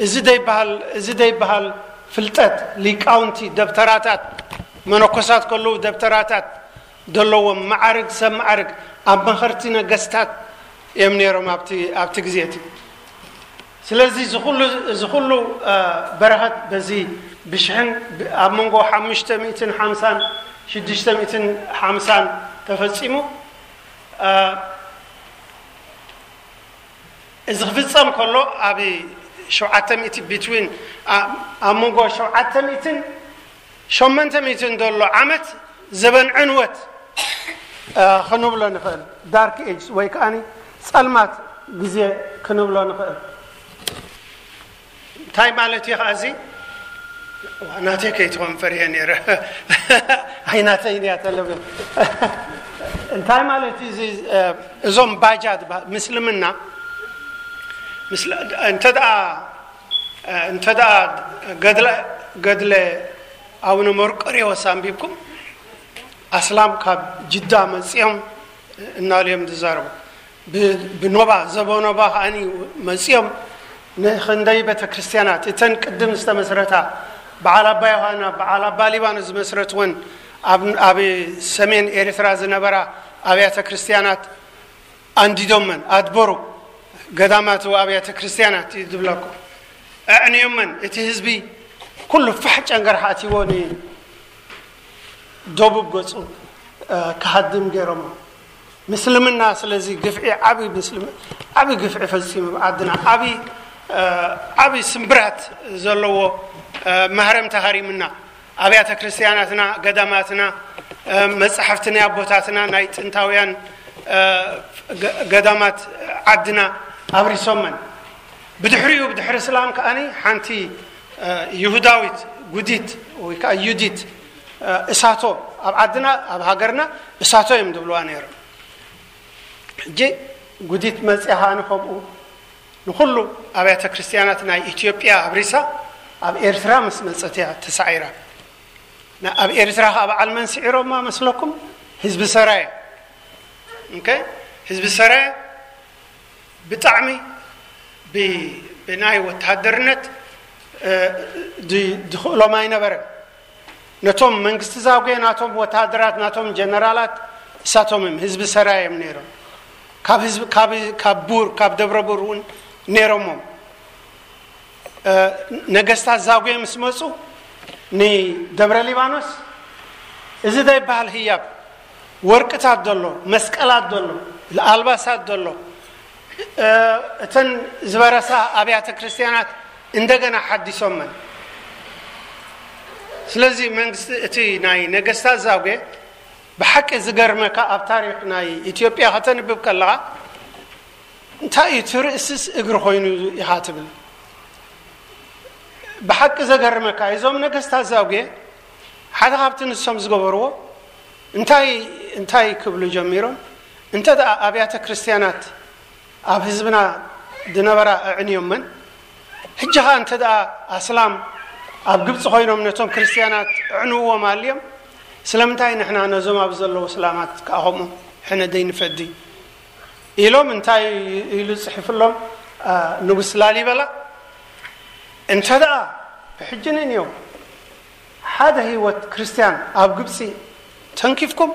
እዚ ደይበሃል፣ እዚ ደይበሃል ፍልጠት፣ ሊቃውንቲ፣ ደብተራታት፣ መነኮሳት ከለዉ ደብተራታት ዘለዎም፣ መዓርግ ሰብ መዓርግ፣ ኣብ መኸርቲ ነገስታት እዮም ነይሮም ኣብቲ፣ ኣብቲ ግዜ እቲ። ስለዚ እዚ ኩሉ፣ እዚ ኩሉ፣ እ፣ በረኸት በዚ ብሽሕን ብ-፣ ኣብ መንጎ ሓሙሽተ ሚእትን ሓምሳን ሽዱሽተ ሚእትን ሓምሳን ተፈጺሙ። እ፣ እዚ ክፍጸም ከሎ ኣብ ሸውዓተ ሚእቲ፣ ቢትዊን፣ ኣ-፣ ኣብ መንጎ ሸውዓተ ሚእትን ሸሞንተ ሚእትን ዘሎ ዓመት ዘበን ዕንወት፣ እ፣ ክንብሎ ንኽእል። ዳርክ ኤጅስ ወይ ከኣኒ ጸልማት ግዜ ክንብሎ ንኽእል። እንታይ ማለት እዩ ኸዓ እዚ? ዋ፣ ናተይ ከይትኾን ፈሪሀ ነይረ። ኣይ፣ ናተይ እያ ተለብል። እንታይ ማለት እዩ እዚ? እ፣ እዞም ባጃ ዝበሃል ምስልምና፣ ምስል-፣ እንተ ደኣ፣ እ፣ እንተ ደኣ ገድለ፣ ገድለ ኣቡነ መርቆሬዎስ ኣንቢብኩም፣ ኣስላም ካብ ጅዳ መጺኦም እናሉ እዮም ዝዛረቡ። ብ-፣ ብኖባ፣ ዘበኖባ ከኣኒ መጺኦም ንኽንደይ ቤተ ክርስቲያናት፣ እተን ቅድም ዝተመስረታ፣ በዓል ኣባ ዮሃና፣ በዓል ኣባ ሊባኖስ ዝመስረትወን፣ ኣብ፣ ኣብ ሰሜን ኤርትራ ዝነበራ ኣብያተ ክርስቲያናት ኣንዲዶመን፣ ኣድበሩ፣ ገዳማት ወኣብያተ ክርስቲያናት እዩ ዝብለኩም። ኣዕንዮመን፣ እቲ ህዝቢ ኩሉ ፋሕ ጨንገር ሓቲዎ ን-፣ ደቡብ ገጹ፣ እ፣ ክሃድም ገይሮሞ። ምስልምና ስለዚ ግፍዒ፣ ዓቢ ምስልም-፣ ዓቢ ግፍዒ ፈጺሙ ኣብ ዓድና። ዓቢ፣ እ፣ ዓቢ ስምብራት ዘለዎ፣ እ፣ ማህረምቲ ሃሪምና። ኣብያተ ክርስቲያናትና፣ ገዳማትና፣ እ፣ መጻሕፍቲ ናይ ኣቦታትና፣ ናይ ጥንታውያን፣ እ፣ ገ-፣ ገዳማት ዓድና ኣብሪሶመን። ብድሕሪኡ፣ ብድሕሪ እስላም ከኣኒ ሓንቲ፣ እ፣ ይሁዳዊት ጉዲት ወይ ከኣ ዩዲት፣ እ፣ እሳቶ፣ ኣብ ዓድና፣ ኣብ ሃገርና እሳቶ እዮም ዝብልዋ ነይሮም። ሕጂ ጉዲት መጽያ ከኣኒ ከምኡ ንኹሉ ኣብያተ ክርስቲያናት ናይ ኢትዮጵያ ኣብሪሳ ኣብ ኤርትራ ምስ መጸት እያ ተሳዒራ። ና-፣ ኣብ ኤርትራ ከኣ በዓል መን ስዒሮማ መስለኩም? ህዝቢ ሰራየ። ኦኬ? ህዝቢ ሰራየ ብጣዕሚ ብ-፣ ብናይ ወተሃደርነት፣ እ፣ ድ-፣ ድኽእሎም ኣይነበረን። ነቶም መንግስቲ ዛጉዌ ናቶም ወተሃደራት፣ ናቶም ጀነራላት እሳቶም እዮም፣ ህዝቢ ሰራየ እዮም ነይሮም። ካብ ህዝቢ፣ ካብ፣ ካብ ቡር፣ ካብ ደብረ ቡር እውን ነይሮሞም። እ፣ ነገስታት ዛጉዌ ምስ መጹ ንደብረ ሊባኖስ እዚ ዘይበሃል ህያብ፣ ወርቅታት ዘሎ፣ መስቀላት ዘሎ፣ ኣልባሳት ዘሎ፣ እ፣ እተን ዝበረሳ ኣብያተ ክርስቲያናት እንደገና ሓዲሶመን። ስለዚ መንግስቲ፣ እቲ ናይ ነገስታት ዛጉ ብሓቂ ዝገርመካ፣ ኣብ ታሪክ ናይ ኢትዮጵያ ከተንብብ ከለኻ እንታይ እዩ እቲ ርእስስ እግሪ ኮይኑ ኢኻ ትብል። ብሓቂ ዘገርመካ፣ እዞም ነገስታት ዛጉ ሓደ ካብቲ ንሶም ዝገበርዎ እንታይ እንታይ ክብሉ ጀሚሮም፣ እንተ ደኣ ኣብያተ ክርስትያናት ኣብ ህዝብና ዝነበራ ኣዕንዮመን፣ ሕጂ ኸኣ እንተ ደኣ ኣስላም ኣብ ግብፂ ኮይኖም ነቶም ክርስትያናት ኣዕንዎም ኣልዮም፣ ስለምንታይ ንሕና ነዞም ኣብ ዘለዉ እስላማት ከኣ ከምኡ ሕነ ዘይንፈዲ? ኢሎም እንታይ ኢሉ ጽሒፍሎም? ንጉስ ላሊበላ፣ እንተ ደኣ ብሕጂ ንንዮም ሓደ ህይወት ክርስትያን ኣብ ግብጺ ተንኪፍኩም፣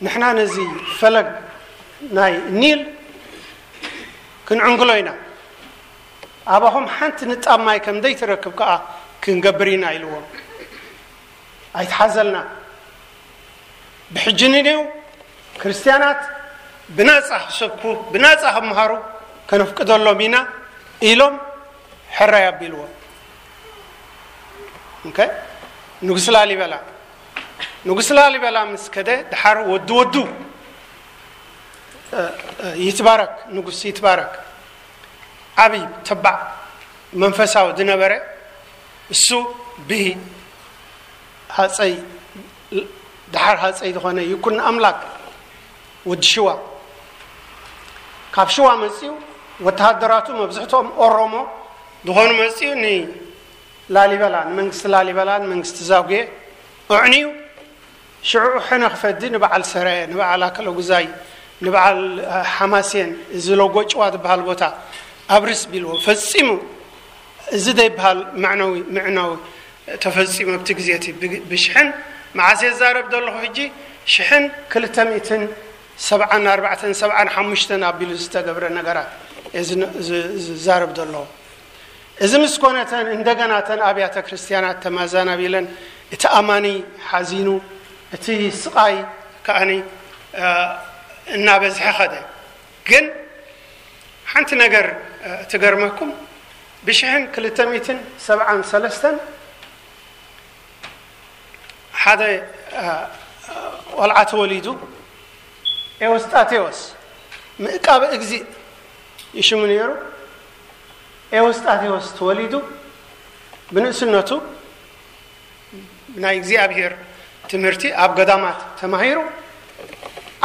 ንሕና ነዚ ፈለግ ናይ ኒል ክንዕንግሎ ኢና። ኣባኹም ሓንቲ ንጣብ ማይ ከም ዘይትረክብ ከኣ ክንገብር ኢና ኢልዎም። ኣይትሓዘልና። ብሕጂ ንኔው ክርስትያናት ብናጻ ክሰብኩ፣ ብናጻ ክምሃሩ ከነፍቅደሎም ኢና ኢሎም ሕራይ ኣቢልዎም። ኦኬ? ንጉስ ላሊበላ፣ ንጉስ ላሊበላ ምስ ከደ፣ ድሓር ወዲ ወዱ፣ እ፣ እ፣ ይትባረክ፣ ንጉስ ይትባረክ፣ ዓብይ ተባዕ መንፈሳዊ ዝነበረ፣ እሱ ብሂ ሃፀይ፣ ድሓር ሃፀይ ዝኾነ ይኩን ኣምላክ፣ ወዲ ሽዋ፣ ካብ ሽዋ መፅኡ፣ ወተሃደራቱ መብዝሕትኦም ኦሮሞ ዝኾኑ መፅኡ፣ ንላሊበላ፣ ንመንግስቲ ላሊበላ፣ ንመንግስቲ ዛጉዌ ኣዕንዩ፣ ሽዑ ሕነ ክፈዲ ንበዓል ሰራየ፣ ንበዓል ኣከለጉዛይ፣ ንበዓል ሓማሴን፣ እዚ ሎጎ ጭዋ ዝበሃል ቦታ ኣብርስ ቢልዎ። ፈጺሙ እዚ ዘይበሃል መዕነዊ፣ ምዕናዊ ተፈጺሙ ኣብቲ ግዜ እቲ። ብ-፣ ብሽሕን፣ መዓስ እየ ዝዛረብ ዘለኹ ሕጂ? ሽሕን ክልተ ሚእትን ሰብዓን ኣርባዕተን፣ ሰብዓን ሓሙሽተን ኣቢሉ ዝተገብረ ነገራት እየ ዝነ-፣ ዝ-፣ ዝዛረብ ዘለኹ። እዚ ምስ ኮነ፣ እተን እንደገና እተን ኣብያተ ክርስትያናት ተመዛናቢለን፣ እቲ ኣማኒ ሓዚኑ፣ እቲ ስቓይ ከኣኒ፣ እ፣ እናበዝሐ ኸደ። ግን ሓንቲ ነገር፣ እ፣ ትገርመኩም፣ ብሽሕን ክልተ ሚእትን ሰብዓን ሰለስተን ሓደ፣ እ፣ ቆልዓ ተወሊዱ፣ ኤዎስጣቴዎስ ምእቃበ እግዚእ ይሽሙ ነይሩ። ኤዎስጣቴዎስ ተወሊዱ፣ ብንእስነቱ ናይ እግዚኣብሔር ትምህርቲ ኣብ ገዳማት ተማሂሩ፣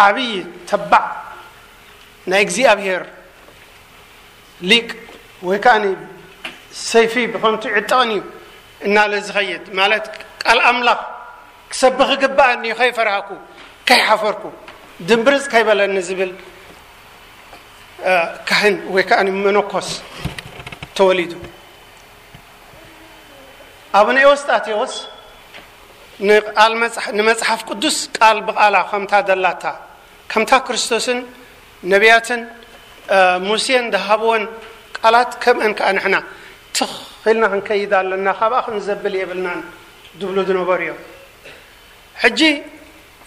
ዓብዪ ተባዕ ናይ እግዚኣብሔር ሊቅ፣ ወይ ከኣ ሰይፊ ብኸምቱ ይዕጠቕን እዩ እናለ ዝኸይድ፣ ማለት ቃል ኣምላኽ ክሰብኽ ይግብኣኒ እዩ፣ ከይፈራህኩ፣ ከይሓፈርኩ፣ ድምብርጽ ከይበለኒ ዝብል፣ እ፣ ካህን ወይ ከኣ መነኮስ ተወሊዱ። ኣቡነ ኤዎስጣቴዎስ ንቃል መጽሓ-፣ ንመጽሓፍ ቅዱስ ቃል ብቓላ ከምታ ደላታ፣ ከምታ ክርስቶስን ነቢያትን፣ እ፣ ሙሴን ዝሃብወን ቃላት፣ ከምአን ከኣ ንሕና ትኽ ኢልና ክንከይድ ኣለና፣ ካብኣ ክንዘብል የብልናን ዝብሉ ዝነበሩ እዮም። ሕጂ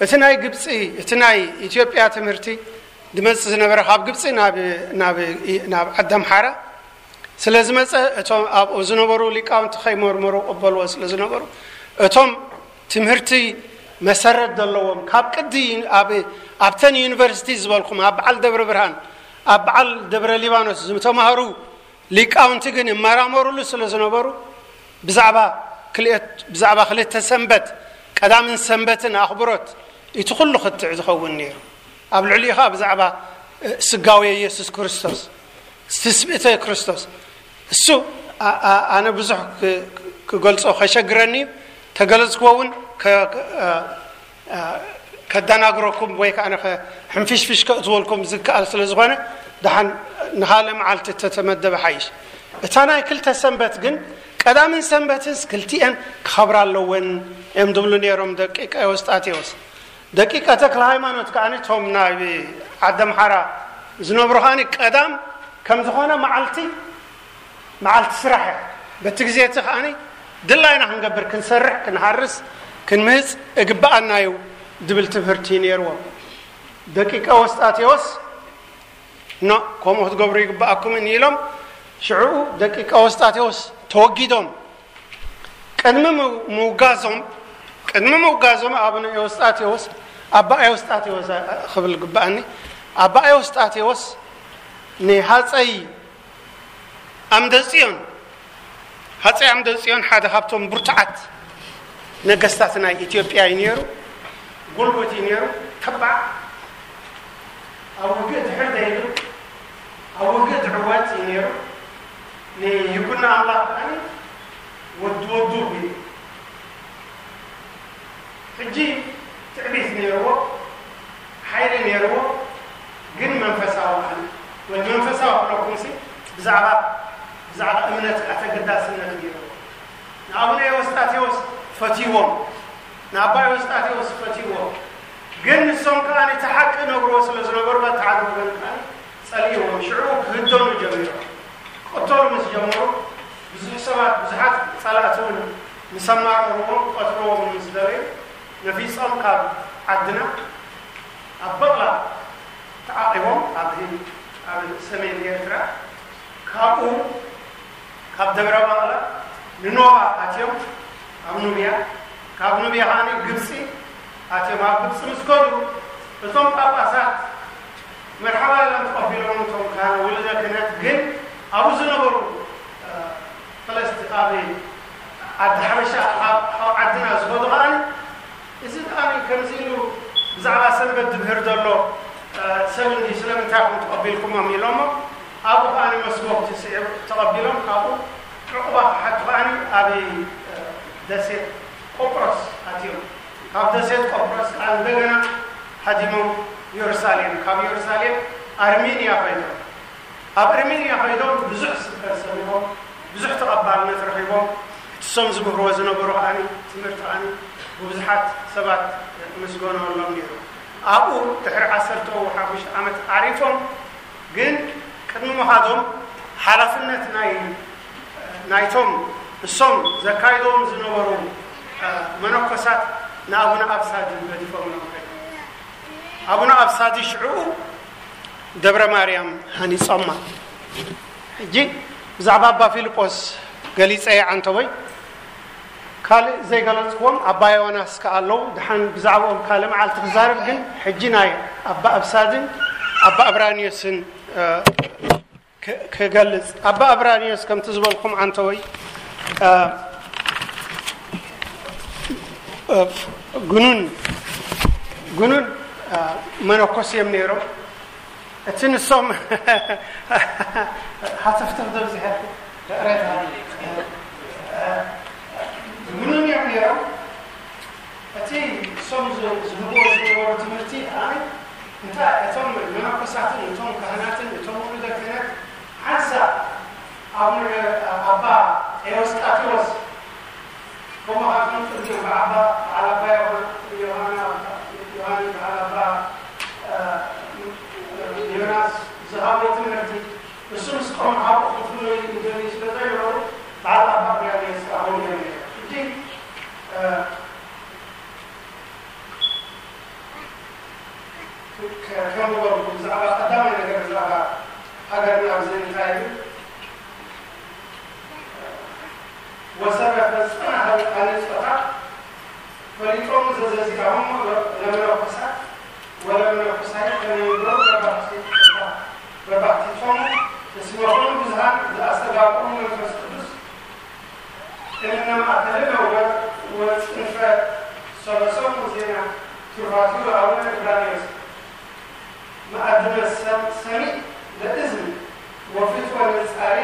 እቲ ናይ ግብፂ፣ እቲ ናይ ኢትዮጵያ ትምህርቲ ዝመፅእ ዝነበረ፣ ካብ ግብፂ ናብ፣ ናብ፣ ናብ ዓዲ ኣምሓራ ስለ ዝመፀ፣ እቶም ኣብኡ ዝነበሩ ሊቃውንቲ ከይመርመሩ ቅበልዎ ስለ ዝነበሩ፣ እቶም ትምህርቲ መሰረት ዘለዎም፣ ካብ ቅዲ ኣብ፣ ኣብተን ዩኒቨርሲቲ ዝበልኩም፣ ኣብ በዓል ደብረ ብርሃን፣ ኣብ በዓል ደብረ ሊባኖስ ዝተማሃሩ ሊቃውንቲ ግን ይመራመሩሉ ስለ ዝነበሩ፣ ብዛዕባ ክልኤት-፣ ብዛዕባ ክልተ ሰንበት፣ ቀዳምን ሰንበትን ኣኽብሮት፣ እቲ ኩሉ ክትዕ ዝኸውን ነይሩ። ኣብ ልዕሊኡ ኸኣ ብዛዕባ፣ እ፣ ስጋዌ የሱስ ክርስቶስ፣ ትስብእተ ክርስቶስ፣ እሱ፣ ኣ-፣ ኣ-፣ ኣነ ብዙሕ ክ-፣ ክገልጾ ከሸግረኒ እዩ። ተገለጽክዎ እውን ከ-፣ ከ-፣ እ፣ እ፣ ከደናግረኩም ወይ ከኣ ከ-፣ ሕንፍሽፍሽ ከእትወልኩም ዝከኣል ስለ ዝኾነ፣ ደሓን ንኻልእ መዓልቲ እተተመደበ ሓይሽ። እታ ናይ ክልተ ሰንበት ግን፣ ቀዳምን ሰንበትስ ክልቲኤን ክኸብራ ኣለወን እዮም ዝብሉ ነይሮም ደቂቀ ኤዎስጣቴዎስ። ደቂቀ ተክለ ሃይማኖት ከኣ፣ እቶም ናይ ዓዲ ኣምሓራ ዝነብሩ ከኣ፣ ቀዳም ከም ዝኾነ መዓልቲ፣ መዓልቲ ስራሕ እያ። በቲ ግዜ እቲ ከኣ ድላይና ክንገብር፣ ክንሰርሕ፣ ክንሃርስ፣ ክንምህጽ እግብኣና እዩ ዝብል ትምህርቲ ነይርዎም። ደቂቀ ኤዎስጣቴዎስ፣ ኖ፣ ከምኡ ክትገብሩ ይግብኣኩምን ኢሎም፣ ሽዑኡ ደቂቀ ኤዎስጣቴዎስ ተወጊዶም። ቅድሚ ምው- ምውጋዞም ቅድሚ ምውጋዞም ኣቡነ ኤዎስጣቴዎስ ኣባ ኤዎስጣቴዎስ ክብል ግባኣኒ ኣባ ኤዎስጣቴዎስ ንሃፀይ ኣምደ ፅዮን ሃፀይ ኣምደ ፅዮን ሓደ ካብቶም ብርቱዓት ነገስታት ናይ ኢትዮጵያ እዩ ነይሩ። ጉልበት እዩ ነይሩ። ተባዕ ኣብ ውግእ ድሕር ዘይብል ኣብ ውግእ ዝዕወት እዩ ነይሩ። ንይኩኖ ኣምላኽ ከዓኒ ወዲ ወዱ ቢሉ ሕጂ ትዕቢት ነይርዎ፣ ሓይሊ ነይርዎ፣ ግን መንፈሳዊ ዓሊ ወይ መንፈሳዊ ክለኩምሲ ብዛዕባ ብዛዕባ እምነት ኣተገዳስነት ነይርዎ። ንኣቡነ ኤዎስጣቴዎስ ፈትይዎም፣ ንኣባ ኤዎስጣቴዎስ ፈትይዎም። ግን ንሶም ከኣ እቲ ሓቂ ነግርዎ ስለ ዝነበሩ በቲ ሓደ ወገን ከኣ ጸሊእዎም። ሽዑ ክህደኑ ጀሚሮም። ክቕተሉ ምስ ጀመሩ ብዙሕ ሰባት ብዙሓት ጸላእቲ እውን ምስ ኣማረርዎም ክቐትልዎም ምስ ደለዩ ነፊጾም ካብ ዓድና ኣብ በቕላ ተዓቒቦም ኣብ ህንድ ኣብ ሰሜን ኤርትራ ካብኡ ካብ ደብረ ባቕላ ንኖባ ኣትዮም ኣብ ኑብያ ካብ ኑብያ ከዓኒ ግብፂ ኣትዮም ኣብ ግብፂ ምስ ከዱ እቶም ጳጳሳት መርሓባ ኢሎም ተቐቢሎም እቶም ካህን ውሉደ ክህነት ግን ኣብኡ ዝነበሩ ፈለስቲ ኣብ ዓዲ ሓበሻ ካብ ዓድና ዝኸዱ ከዓኒ እዚ ከዓኒ ከምዚ ኢሉ ብዛዕባ ሰንበት ዝምህር ዘሎ ሰብ እንዲ ስለምንታይ ኢኹም ተቐቢልኩሞም ኢሎሞ ኣብኡ ከዓኒ መስጎግቲ ስዒቡ ተቐቢሎም ካብኡ ዕቑባ ክሓቱ ከዓኒ ኣብ ደሴት ቆጵሮስ ኣትዮም ካብ ደሴት ቆጵሮስ ከዓ እንደገና ሃዲሞም ኢየሩሳሌም ካብ ኢየሩሳሌም ኣርሜንያ ኮይኖም ኣብ ኣርሜንያ ከይዶም ብዙሕ ስብከት ሰሚዖም ብዙሕ ተቐባልነት ረኺቦም እቲ ሶም ዝምህርዎ ዝነበሩ ከዓኒ ትምህርቲ ከዓኒ ብብዙሓት ሰባት ምስገኖሎም ነይሩ ኣብኡ ድሕሪ ዓሰርተ ሓሙሽተ ዓመት ዓሪፎም ግን ቅድሚ ምኻዶም ሓላፍነት ናይ ናይቶም እሶም ዘካይዶም ዝነበሩ መነኮሳት ንኣቡነ ኣብሳዲ ገዲፎምሎም ከ ኣቡነ ኣብሳዲ ሽዑ ደብረ ማርያም ሃኒጾማ። ሕጂ ብዛዕባ ኣባ ፊልጶስ ገሊጸ እየ ዓንተቦይ። ካልእ ዘይገለጽክዎም ኣባ ዮናስ ከኣ ኣለዉ። ድሓን ብዛዕባኦም ካልእ መዓልቲ ክዛረብ፣ ግን ሕጂ ናይ ኣባ ኣብሳድን ኣባ ኣብራኒዮስን ክገልጽ። ኣባ ኣብራኒዮስ ከምቲ ዝበልኩም ዓንተቦይ ግኑን ግኑን መነኮስ እዮም ነይሮም። እቲ ንሶም ሃተፍተፍ ደብዚሐልኩ ይቕሬታ ምንም እዮም ነይሮም። እቲ እሶም ዝህብዎ ዝነበሩ ትምህርቲ ከዓኒ እንታይ እቶም መነኮሳትን እቶም ካህናትን እቶም ውሉደ ክህነት ሓንሳብ ኣቡነ ኣባ ኤዎስጣቴዎስ ከምኡ ከዓ ከም ቅድሚ በዓባ በዓል ኣባ ዮሃና ዮሃና ዮሃኒ በዓል ኣባ ዮናስ ዝሃቦ ትምህርቲ እሱ ምስ ቆም ሓቁ ክፍለዩ ዝደልዩ ስለ ዘይነበሩ በዓል ኣባ ቅያሜ ስራቦም እዮም ነይሮም። ሕጂ ከም ዝበልኩ ብዛዕባ ቀዳማይ ነገር ብዛዕባ ሃገርና ኣብዚ እንታይ እዩ ወሰረፈ ጽናሕ ሃኒጾታ ፈሊጦም ዘዘዚኣሆም ለመነኮሳት ወለመነኮሳይ ከመይ ይገብሩ ረባሕቲ ረባሕቲቶም እስመ ኩሉ ብዙሃን ዘኣስተጋብኦም መንፈስ ቅዱስ እምነ ማእከልነ ወጽንፈ ሰበሶም ዜና ትሩፋቲሁ ለአቡነ እብራንዮስ መአድነ ሰሚዕ ለእዝን ወፍትወ ንጻሬ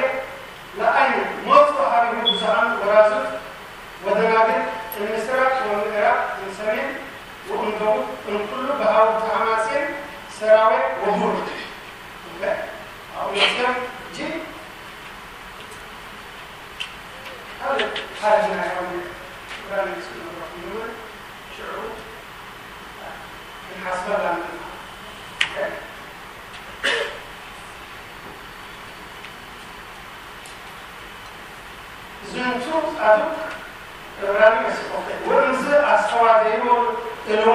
ለአይን ሞት ወሃቢሁ ብዙሃን ወራዙት ወደናግል እምስራቅ ወምዕራብ እምሰሜን ወእምደቡብ እምኩሉ በሃውርተ ሐማሴን ሰራዌ ወቡር። ኦኬ? አሁን መቼም እጅ ካልእ ካልእ ናይ ኣቡነ እብራንዮስ ንብረኹም ሽዑ ክንሓስበላ ንግባእ። ዝንቱ ጻድቅ እብራንዮስ ወእምዝ ኣስተዋደይዎ እልዋ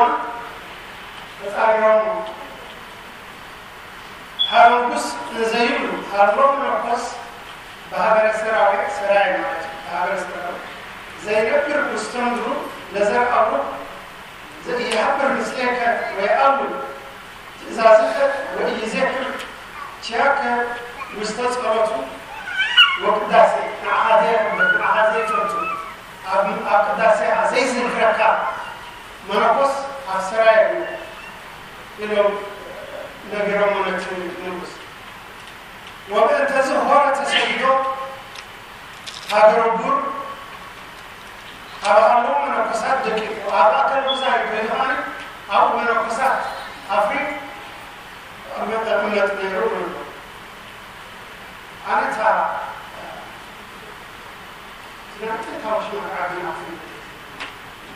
ተጻሪሮሞ ሃረንጉስ ንዘይብሉ ሃሎም ነኮስ ብሃገረ ሰራዊ ሰራይ ማለት እዩ። ብሃገረ ሰራዊ ዘይነብር ውስተ ምድሩ ለዘርአብሩክ ዘኢይሃብር ምስሌከ ወየአምር ትእዛዝከ ወኢይዜክር ኪያከ ውስተ ጸሎቱ ወቅዳሴ። ንዓኻ ዘየኽብር፣ ንዓኻ ዘይፈቱ፣ ኣብ ኣብ ቅዳሴኻ ዘይዝክረካ መነኮስ ኣብ ሰራየ ኢሎም ነጊሮሞ ነቲ ንጉስ። ወብእንተዚ ሆረ ተሰዲዶ ሃገረ ቡር ኣብ ኣለዉ መነኮሳት ደቂቁ ኣብ ኣከለ ጉዛይ ኮይኑ ከኣ ኣብኡ መነኮሳት ኣፍሪቅ መጠመጥ ነይሩ ንብሎ። ኣነ እታ ትናንት ታወሽ መርዓ ግን ኣፍሪቅ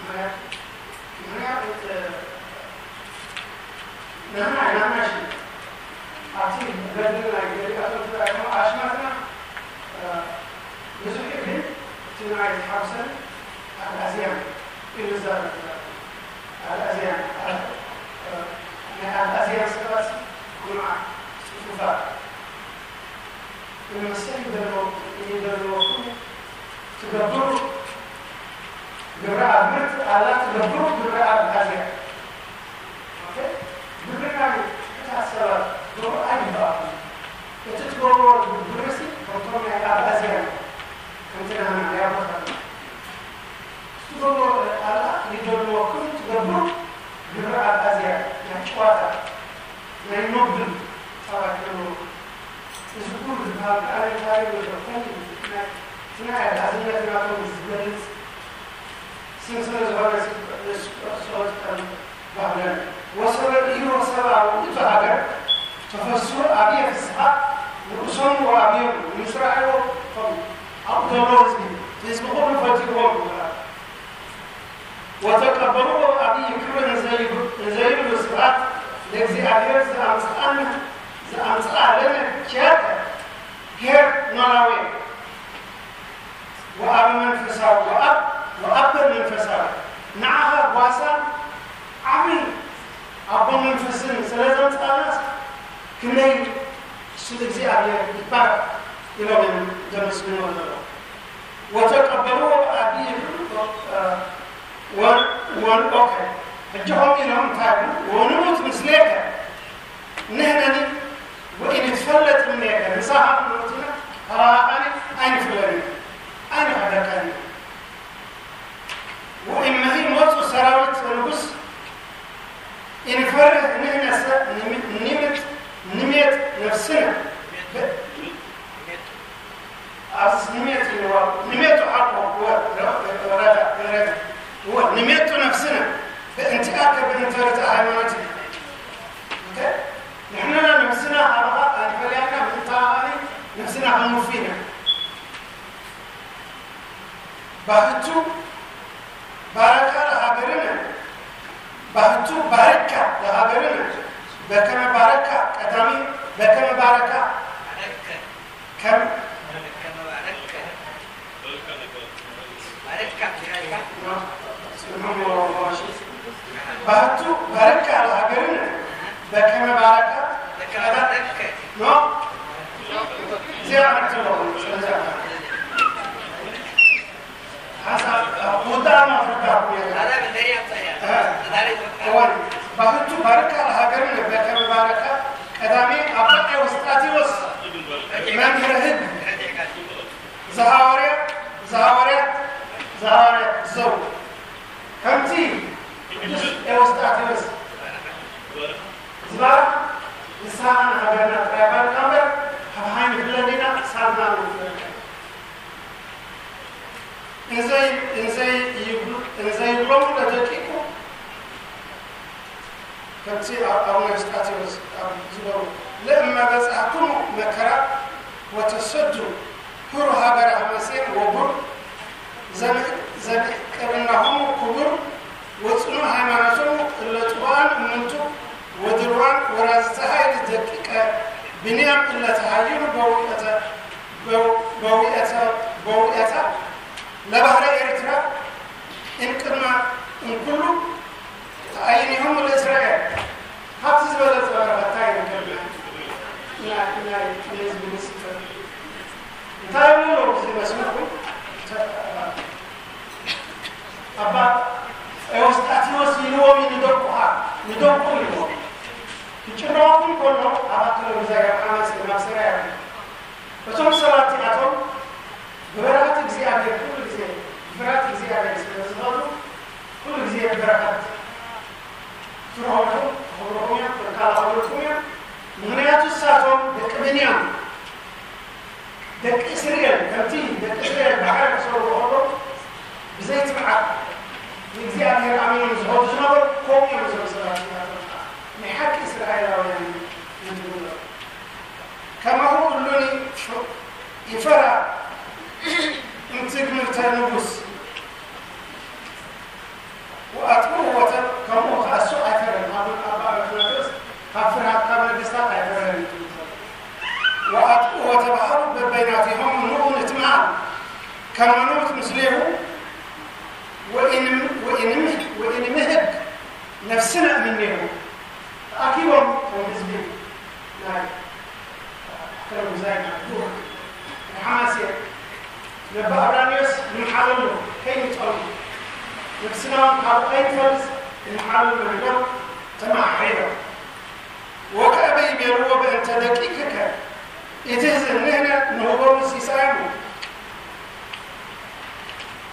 ምክንያት ምክንያት ንሕና ኢና ናሽን ኣብቲ ገድልና ገሊኣቶም ትራእቶም ኣሽማትና ብዙሕ ግን እቲ ንዓይ ዝሓውሰን ኣግኣዝያን እዩ ዝዛረብ። ኣግኣዝያን ናይ ኣግኣዝያን ሰባት ኩኑዓት ጽፉፋት ንመሰል ይደልዎ ይደልዎ ኩሉ ትገብሩ ግብረ ኣግብርት ኣላ ትገብሩ ግብረ ኣግኣዝያን ግብርና እታት ሰባት ገብሩ ኣይግባእኩም። እቲ ትገብርዎ ግብርሲ ከምቶም ናይ ኣግኣዝያን ከምቲ ናህና ናይ ኣቦታትና ትገብርዎ ኣላ ይደልዎ ኩሉ ትገብሩ ግብረ ኣግኣዝያን ናይ ጨዋታ ናይ ኖብል ሰባት ገብሩ እዚ ኩሉ ዝበሃል ኣነ እንታይ ይብሎ ከምቲ ናይ ናይ ኣግኣዝነት ናቶም ዝገልጽ ስም ስለ ዝኾነ ንሱ ክዕሶ ዝጠም ባህለን ወሰበ ኢሮ ሰብኣዊ እቱ ሃገር ተፈስሑ ኣብየ ፍስሓ ንርእሶም ወኣብዮም ንምስራሕዎ ከም ኣብኡ ዘሎ ህዝቢ ህዝቢ ኩሉ ፈትይዎም ይበሃል። ወተቀበልዎ ኣብይ ክብር እንዘይብሉ ስብሐት ለእግዚኣብሔር ዘኣምጽኣነ ዘኣምጽኣ ለነ ኪያተ ኄር ኖላዌ ወኣበ መንፈሳዊ ወኣብ ወኣበ መንፈሳዊ ንዓኻ ጓሳ ዓቢ ኣቦ መንፈስን ስለ ዘምጻእናስ ክንደይ ስም እግዚኣብሔር ይባረክ ኢሎም እዮም ዘመስግንዎ ዘለዉ። ወተቀበልዎ ብኣቢ ወንኦከ ሕጂ ከምኡ ኢሎም እንታይ ይብሉ? ወንሙት ምስሌከ ንሕነኒ ወኢንትፈለጥ እምኔከ ምሳኻ ክንሞት ኢና ካባኻ ከኣኒ ኣይንፍለን ኢና ኣይንሕደካን ኢና። ወእመሂ ሞጹ ሰራዊት ንጉስ ኢንፈርህ ንሕነሰ ንሚጥ ንሜጥ ነፍስነ ኣብዚ ንሜጥ ኢልዋ ንሜጡ ሓቆ ንሜጡ ነፍስነ በእንቲኣከ በእንተ ርትዕ ሃይማኖት ንሕንና ነፍስና ካባኻ ኣይፈለያና ምእንታኣኒ ነፍስና ክንውፊ ኢና። ባህቱ ባረካ ለሃገርነ ባህቱ ባረካ ለሃገርነ በከመ ባረካ ቀዳሚ በከመ ባረካ ከም ባህቱ ባረካ ለሃገርነ በከመ ባረካ ቀዳሚ ኖ እዚኣ መርትሎ ስለዚ ባህቱ ባርካ ለሃገርን በከመ ባረካ ቀዳሜ ኣባ ኤዎስጣቴዎስ መምህረ ህግ ዘሃዋርያ ዘሃዋርያ ዘሃዋርያ ዘው ከምቲ ቅዱስ ኤዎስጣቴዎስ ዝባርክ ንስኻ ንሃገርና ጥራይ ባርካ እምበር ካብ ሃይም ይፍለኒና ሳልና ንፍለካ እንዘይብሎሙ ለደቂቁ ከምቲ ኣቡነ ስጣቴዎስ ዝገቡ ለእመ በጻሕኩሙ መከራ ወተሰዱ ሁሩ ሃገረ ሐመሴን ወቡር ዘምዕቅርናሆሙ ክቡር ወጽኑ ሃይማኖቶሙ እለ ጽቡኣን እሙንቱ ወድልዋን ወራዝተ ኃይል ደቂቀ ብንያም እለ ተሃይሉ በውእተ በውእታ ለባህረ ኤርትራ እምቅድመ እምኩሉ ተኣይኒሆሙ ለእስራኤል። ካብቲ ዝበለጸ በረኸት እንታይ ይርከብ? ናይ ህዝቢ ንስፈር እንታይ ይብሉ እዚ መስልኩም? እዛ ካብ ሓማሴን ናብ ሰራያ እቶም ሰባት እዚኣቶም ብበረኸት እግዚኣብሔር ኩሉ ግዜ፣ ብፍርሃት እግዚኣብሔር ስለ ዝኸዱ፣ ኩሉ ግዜ ብበረኸት ትረኽቡ፣ ክኽብርኹም እዮም፣ ክከላኸልኩም እዮም። ምኽንያቱ ንሳቶም ደቂ ብንያም፣ ደቂ እስራኤል፣ ከምቲ ደቂ እስራኤል ባሕሪ ክሰግሩ ከለዉ ብዘይ ትብዓት ንእግዚኣብሔር ኣሚኖም ዝኸዱ ዝነበሩ፣ ከምኡ እዮም እዞም ሰባት እዚኣቶም። ናይ ሓቂ እስራኤላውያን እዮም ዝብሉ። ከማሁ እሉኒ ይፈራ እምትግምርተ ንጉስ ወኣጥብኡ ወተ-፣ ከምኡ ከኣ እሱ ኣይፈረን። ኣብ፣ ኣብ ኣትናቴዎስ ካብ ፍርሃት ካብ ነገስታት ኣይፈረን እዩ ዝብል ዘሎ። ወኣጥብኡ ወተባህሉ በበይናቲሆም ንዑ ንትምሃር ከመ ንሙት ምስሌሁ ወኢንም-፣ ወኢንም-፣ ወኢንምህግ ነፍስነ እምኔሁ። ተኣኪቦም ከም ህዝቢ ናይ ከረጉዛይ ናይ ዱር ናይ ሓማሴን ነባ ኣብራንዮስ ንምሓለሉ ከይንጸሉ ነፍስና እውን ካብኡ ከይንፈልስ ንምሓለሉ ኢሎም ተመሓሒሎም። ወከእበ ይቤልዎ በእንተ ደቂቅከ ኢትሕዝን ንሕነ ንህቦሙ ሲሳዮሙ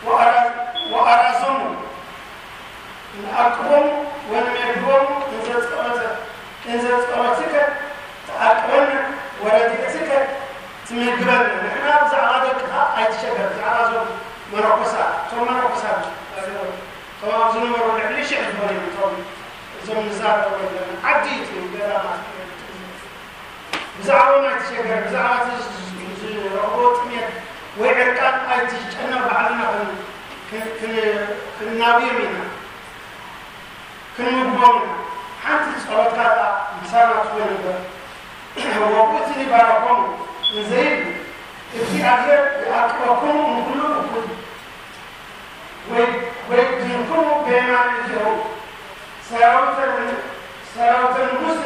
ወኣራ-፣ ወኣራዞሙ ንዓቅቦም ወንሜድቦም እንዘ ጸሎተ-፣ እንዘ ጸሎትከ ተዓቅበነ ወረድኤትከ ትምግበነ። ንሕና ብዛዕባ ደቅኻ ኣይትሸገር። ብዛዕባ እዞም መነኮሳት፣ እቶም መነኮሳት፣ እቶም ኣብ ዝነበሩ ልዕሊ ሽሕ ዝኾኑ እዮም። እቶም፣ እዞም ንዛረቦ ዘለና ዓዲ እዩ፣ ገዳማት። ብዛዕባኦም ኣይትሸገር፣ ብዛዕባ እቲ ዝ-፣ ዝ-፣ ዝረኽቦ ጥሜት ወይ ዕርቃን ኣይትጨነቕ፣ ባዕልና ክን-፣ ክን-፣ ክን-፣ ክንናብዮም ኢና፣ ክንምግቦም ኢና። ሓንቲ ጸሎትካ ከኣ ምሳና ትኹን እምበር። ወውእቱኒ ባረኮሙ እንዘ ይብል፣ እግዚኣብሔር ይዓቅበክሙ እምኩሉ እኩይ፣ ወይ-፣ ወይድንክሙ በየማነ እዴሁ፣ ሰራዊተ ን-፣ ሰራዊተ ንጉሥ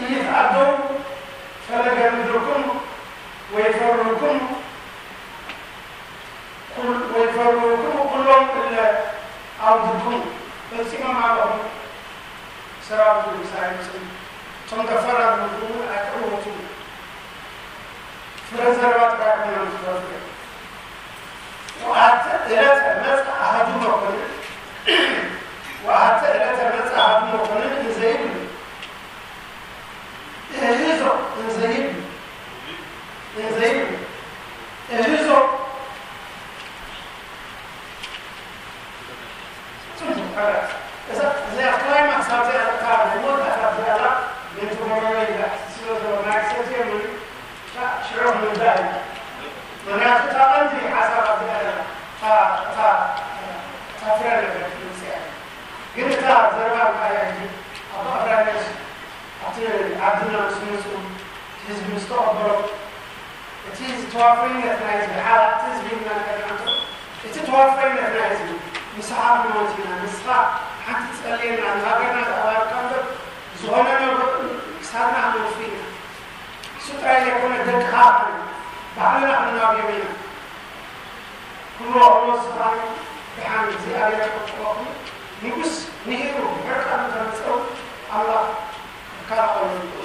ኢይትዓደዉ ፈለገ ምድርክሙ ወይፈርህክሙ ኩል-፣ ወይፈርህክሙ ኩሎም እለ ዓውድክሙ። ፈጺሞም ኣለኹም ሰራዊት ንጉሥ ኣይመጽኡን። እቶም ከፈራርህኹም እውን ኣይክዕወቱን። ፍረ ዘረባ ጥራይ ኮይኖም ዝተርፉ እዮም። ወአተ ዕለተ መጽአ አሐዱ መኮንን፣ ወአተ ዕለተ መጽአ አሐዱ መኮንን እንዘ ይብል፣ እህዞ እንዘ ይብል፣ እንዘ ይብል፣ እህዞ ጽቡቕ፣ ሕራይ። እዛ፣ እዚኣ ክላይማክስ ኣብዚኣ፣ እታ ናይ መወዳእታ ኣብዚኣ ኣላ፣ ምእንቲ ጎረሮ ኢላ፣ ስለ ዘሎ ናይ ሰትየሉ፣ እታ ሽዑ ምውዳእ እዩ። ምኽንያቱ እታ ቀንዲ ሓሳብ ኣብዚኣ ኣላ፣ እታ፣ እታ፣ እታ ፍረ ነገር ትምጽእ እያ። ግን እታ ዘረባ እንታይ እያ? ሕጂ ኣባ ኣብራንዮስ ኣብቲ ዓድና ምስ መጹ፣ ህዝቢ ምስ ተቐበሎ፣ እቲ ተዋፋይነት ናይ ህዝቢ፣ ሓላፍቲ ህዝቢ ኢልና ንፈልጥ እንተሎ፣ እቲ ተዋፋይነት ናይ ህዝቢ፣ ምሳኻ ክንሞት ኢና፣ ንስኻ ሓንቲ ትጸልየና፣ ንሃገርና ተባርካ እምበር፣ ዝኾነ ነገር ክሳድና ክንወፊ ኢና። እሱ ጥራይ ዘይኮነ፣ ደቅኻ ባዕልና ክንናብዮም ኢና። ኩሉ ኣውሎስ ሰብኣይ ደሓን እግዚኣብሔር ክቕበለኩም። ንጉስ ንሂሩ ብሕርቃኑ ተመጸው ኣምላኽ ክከላኸለሉ።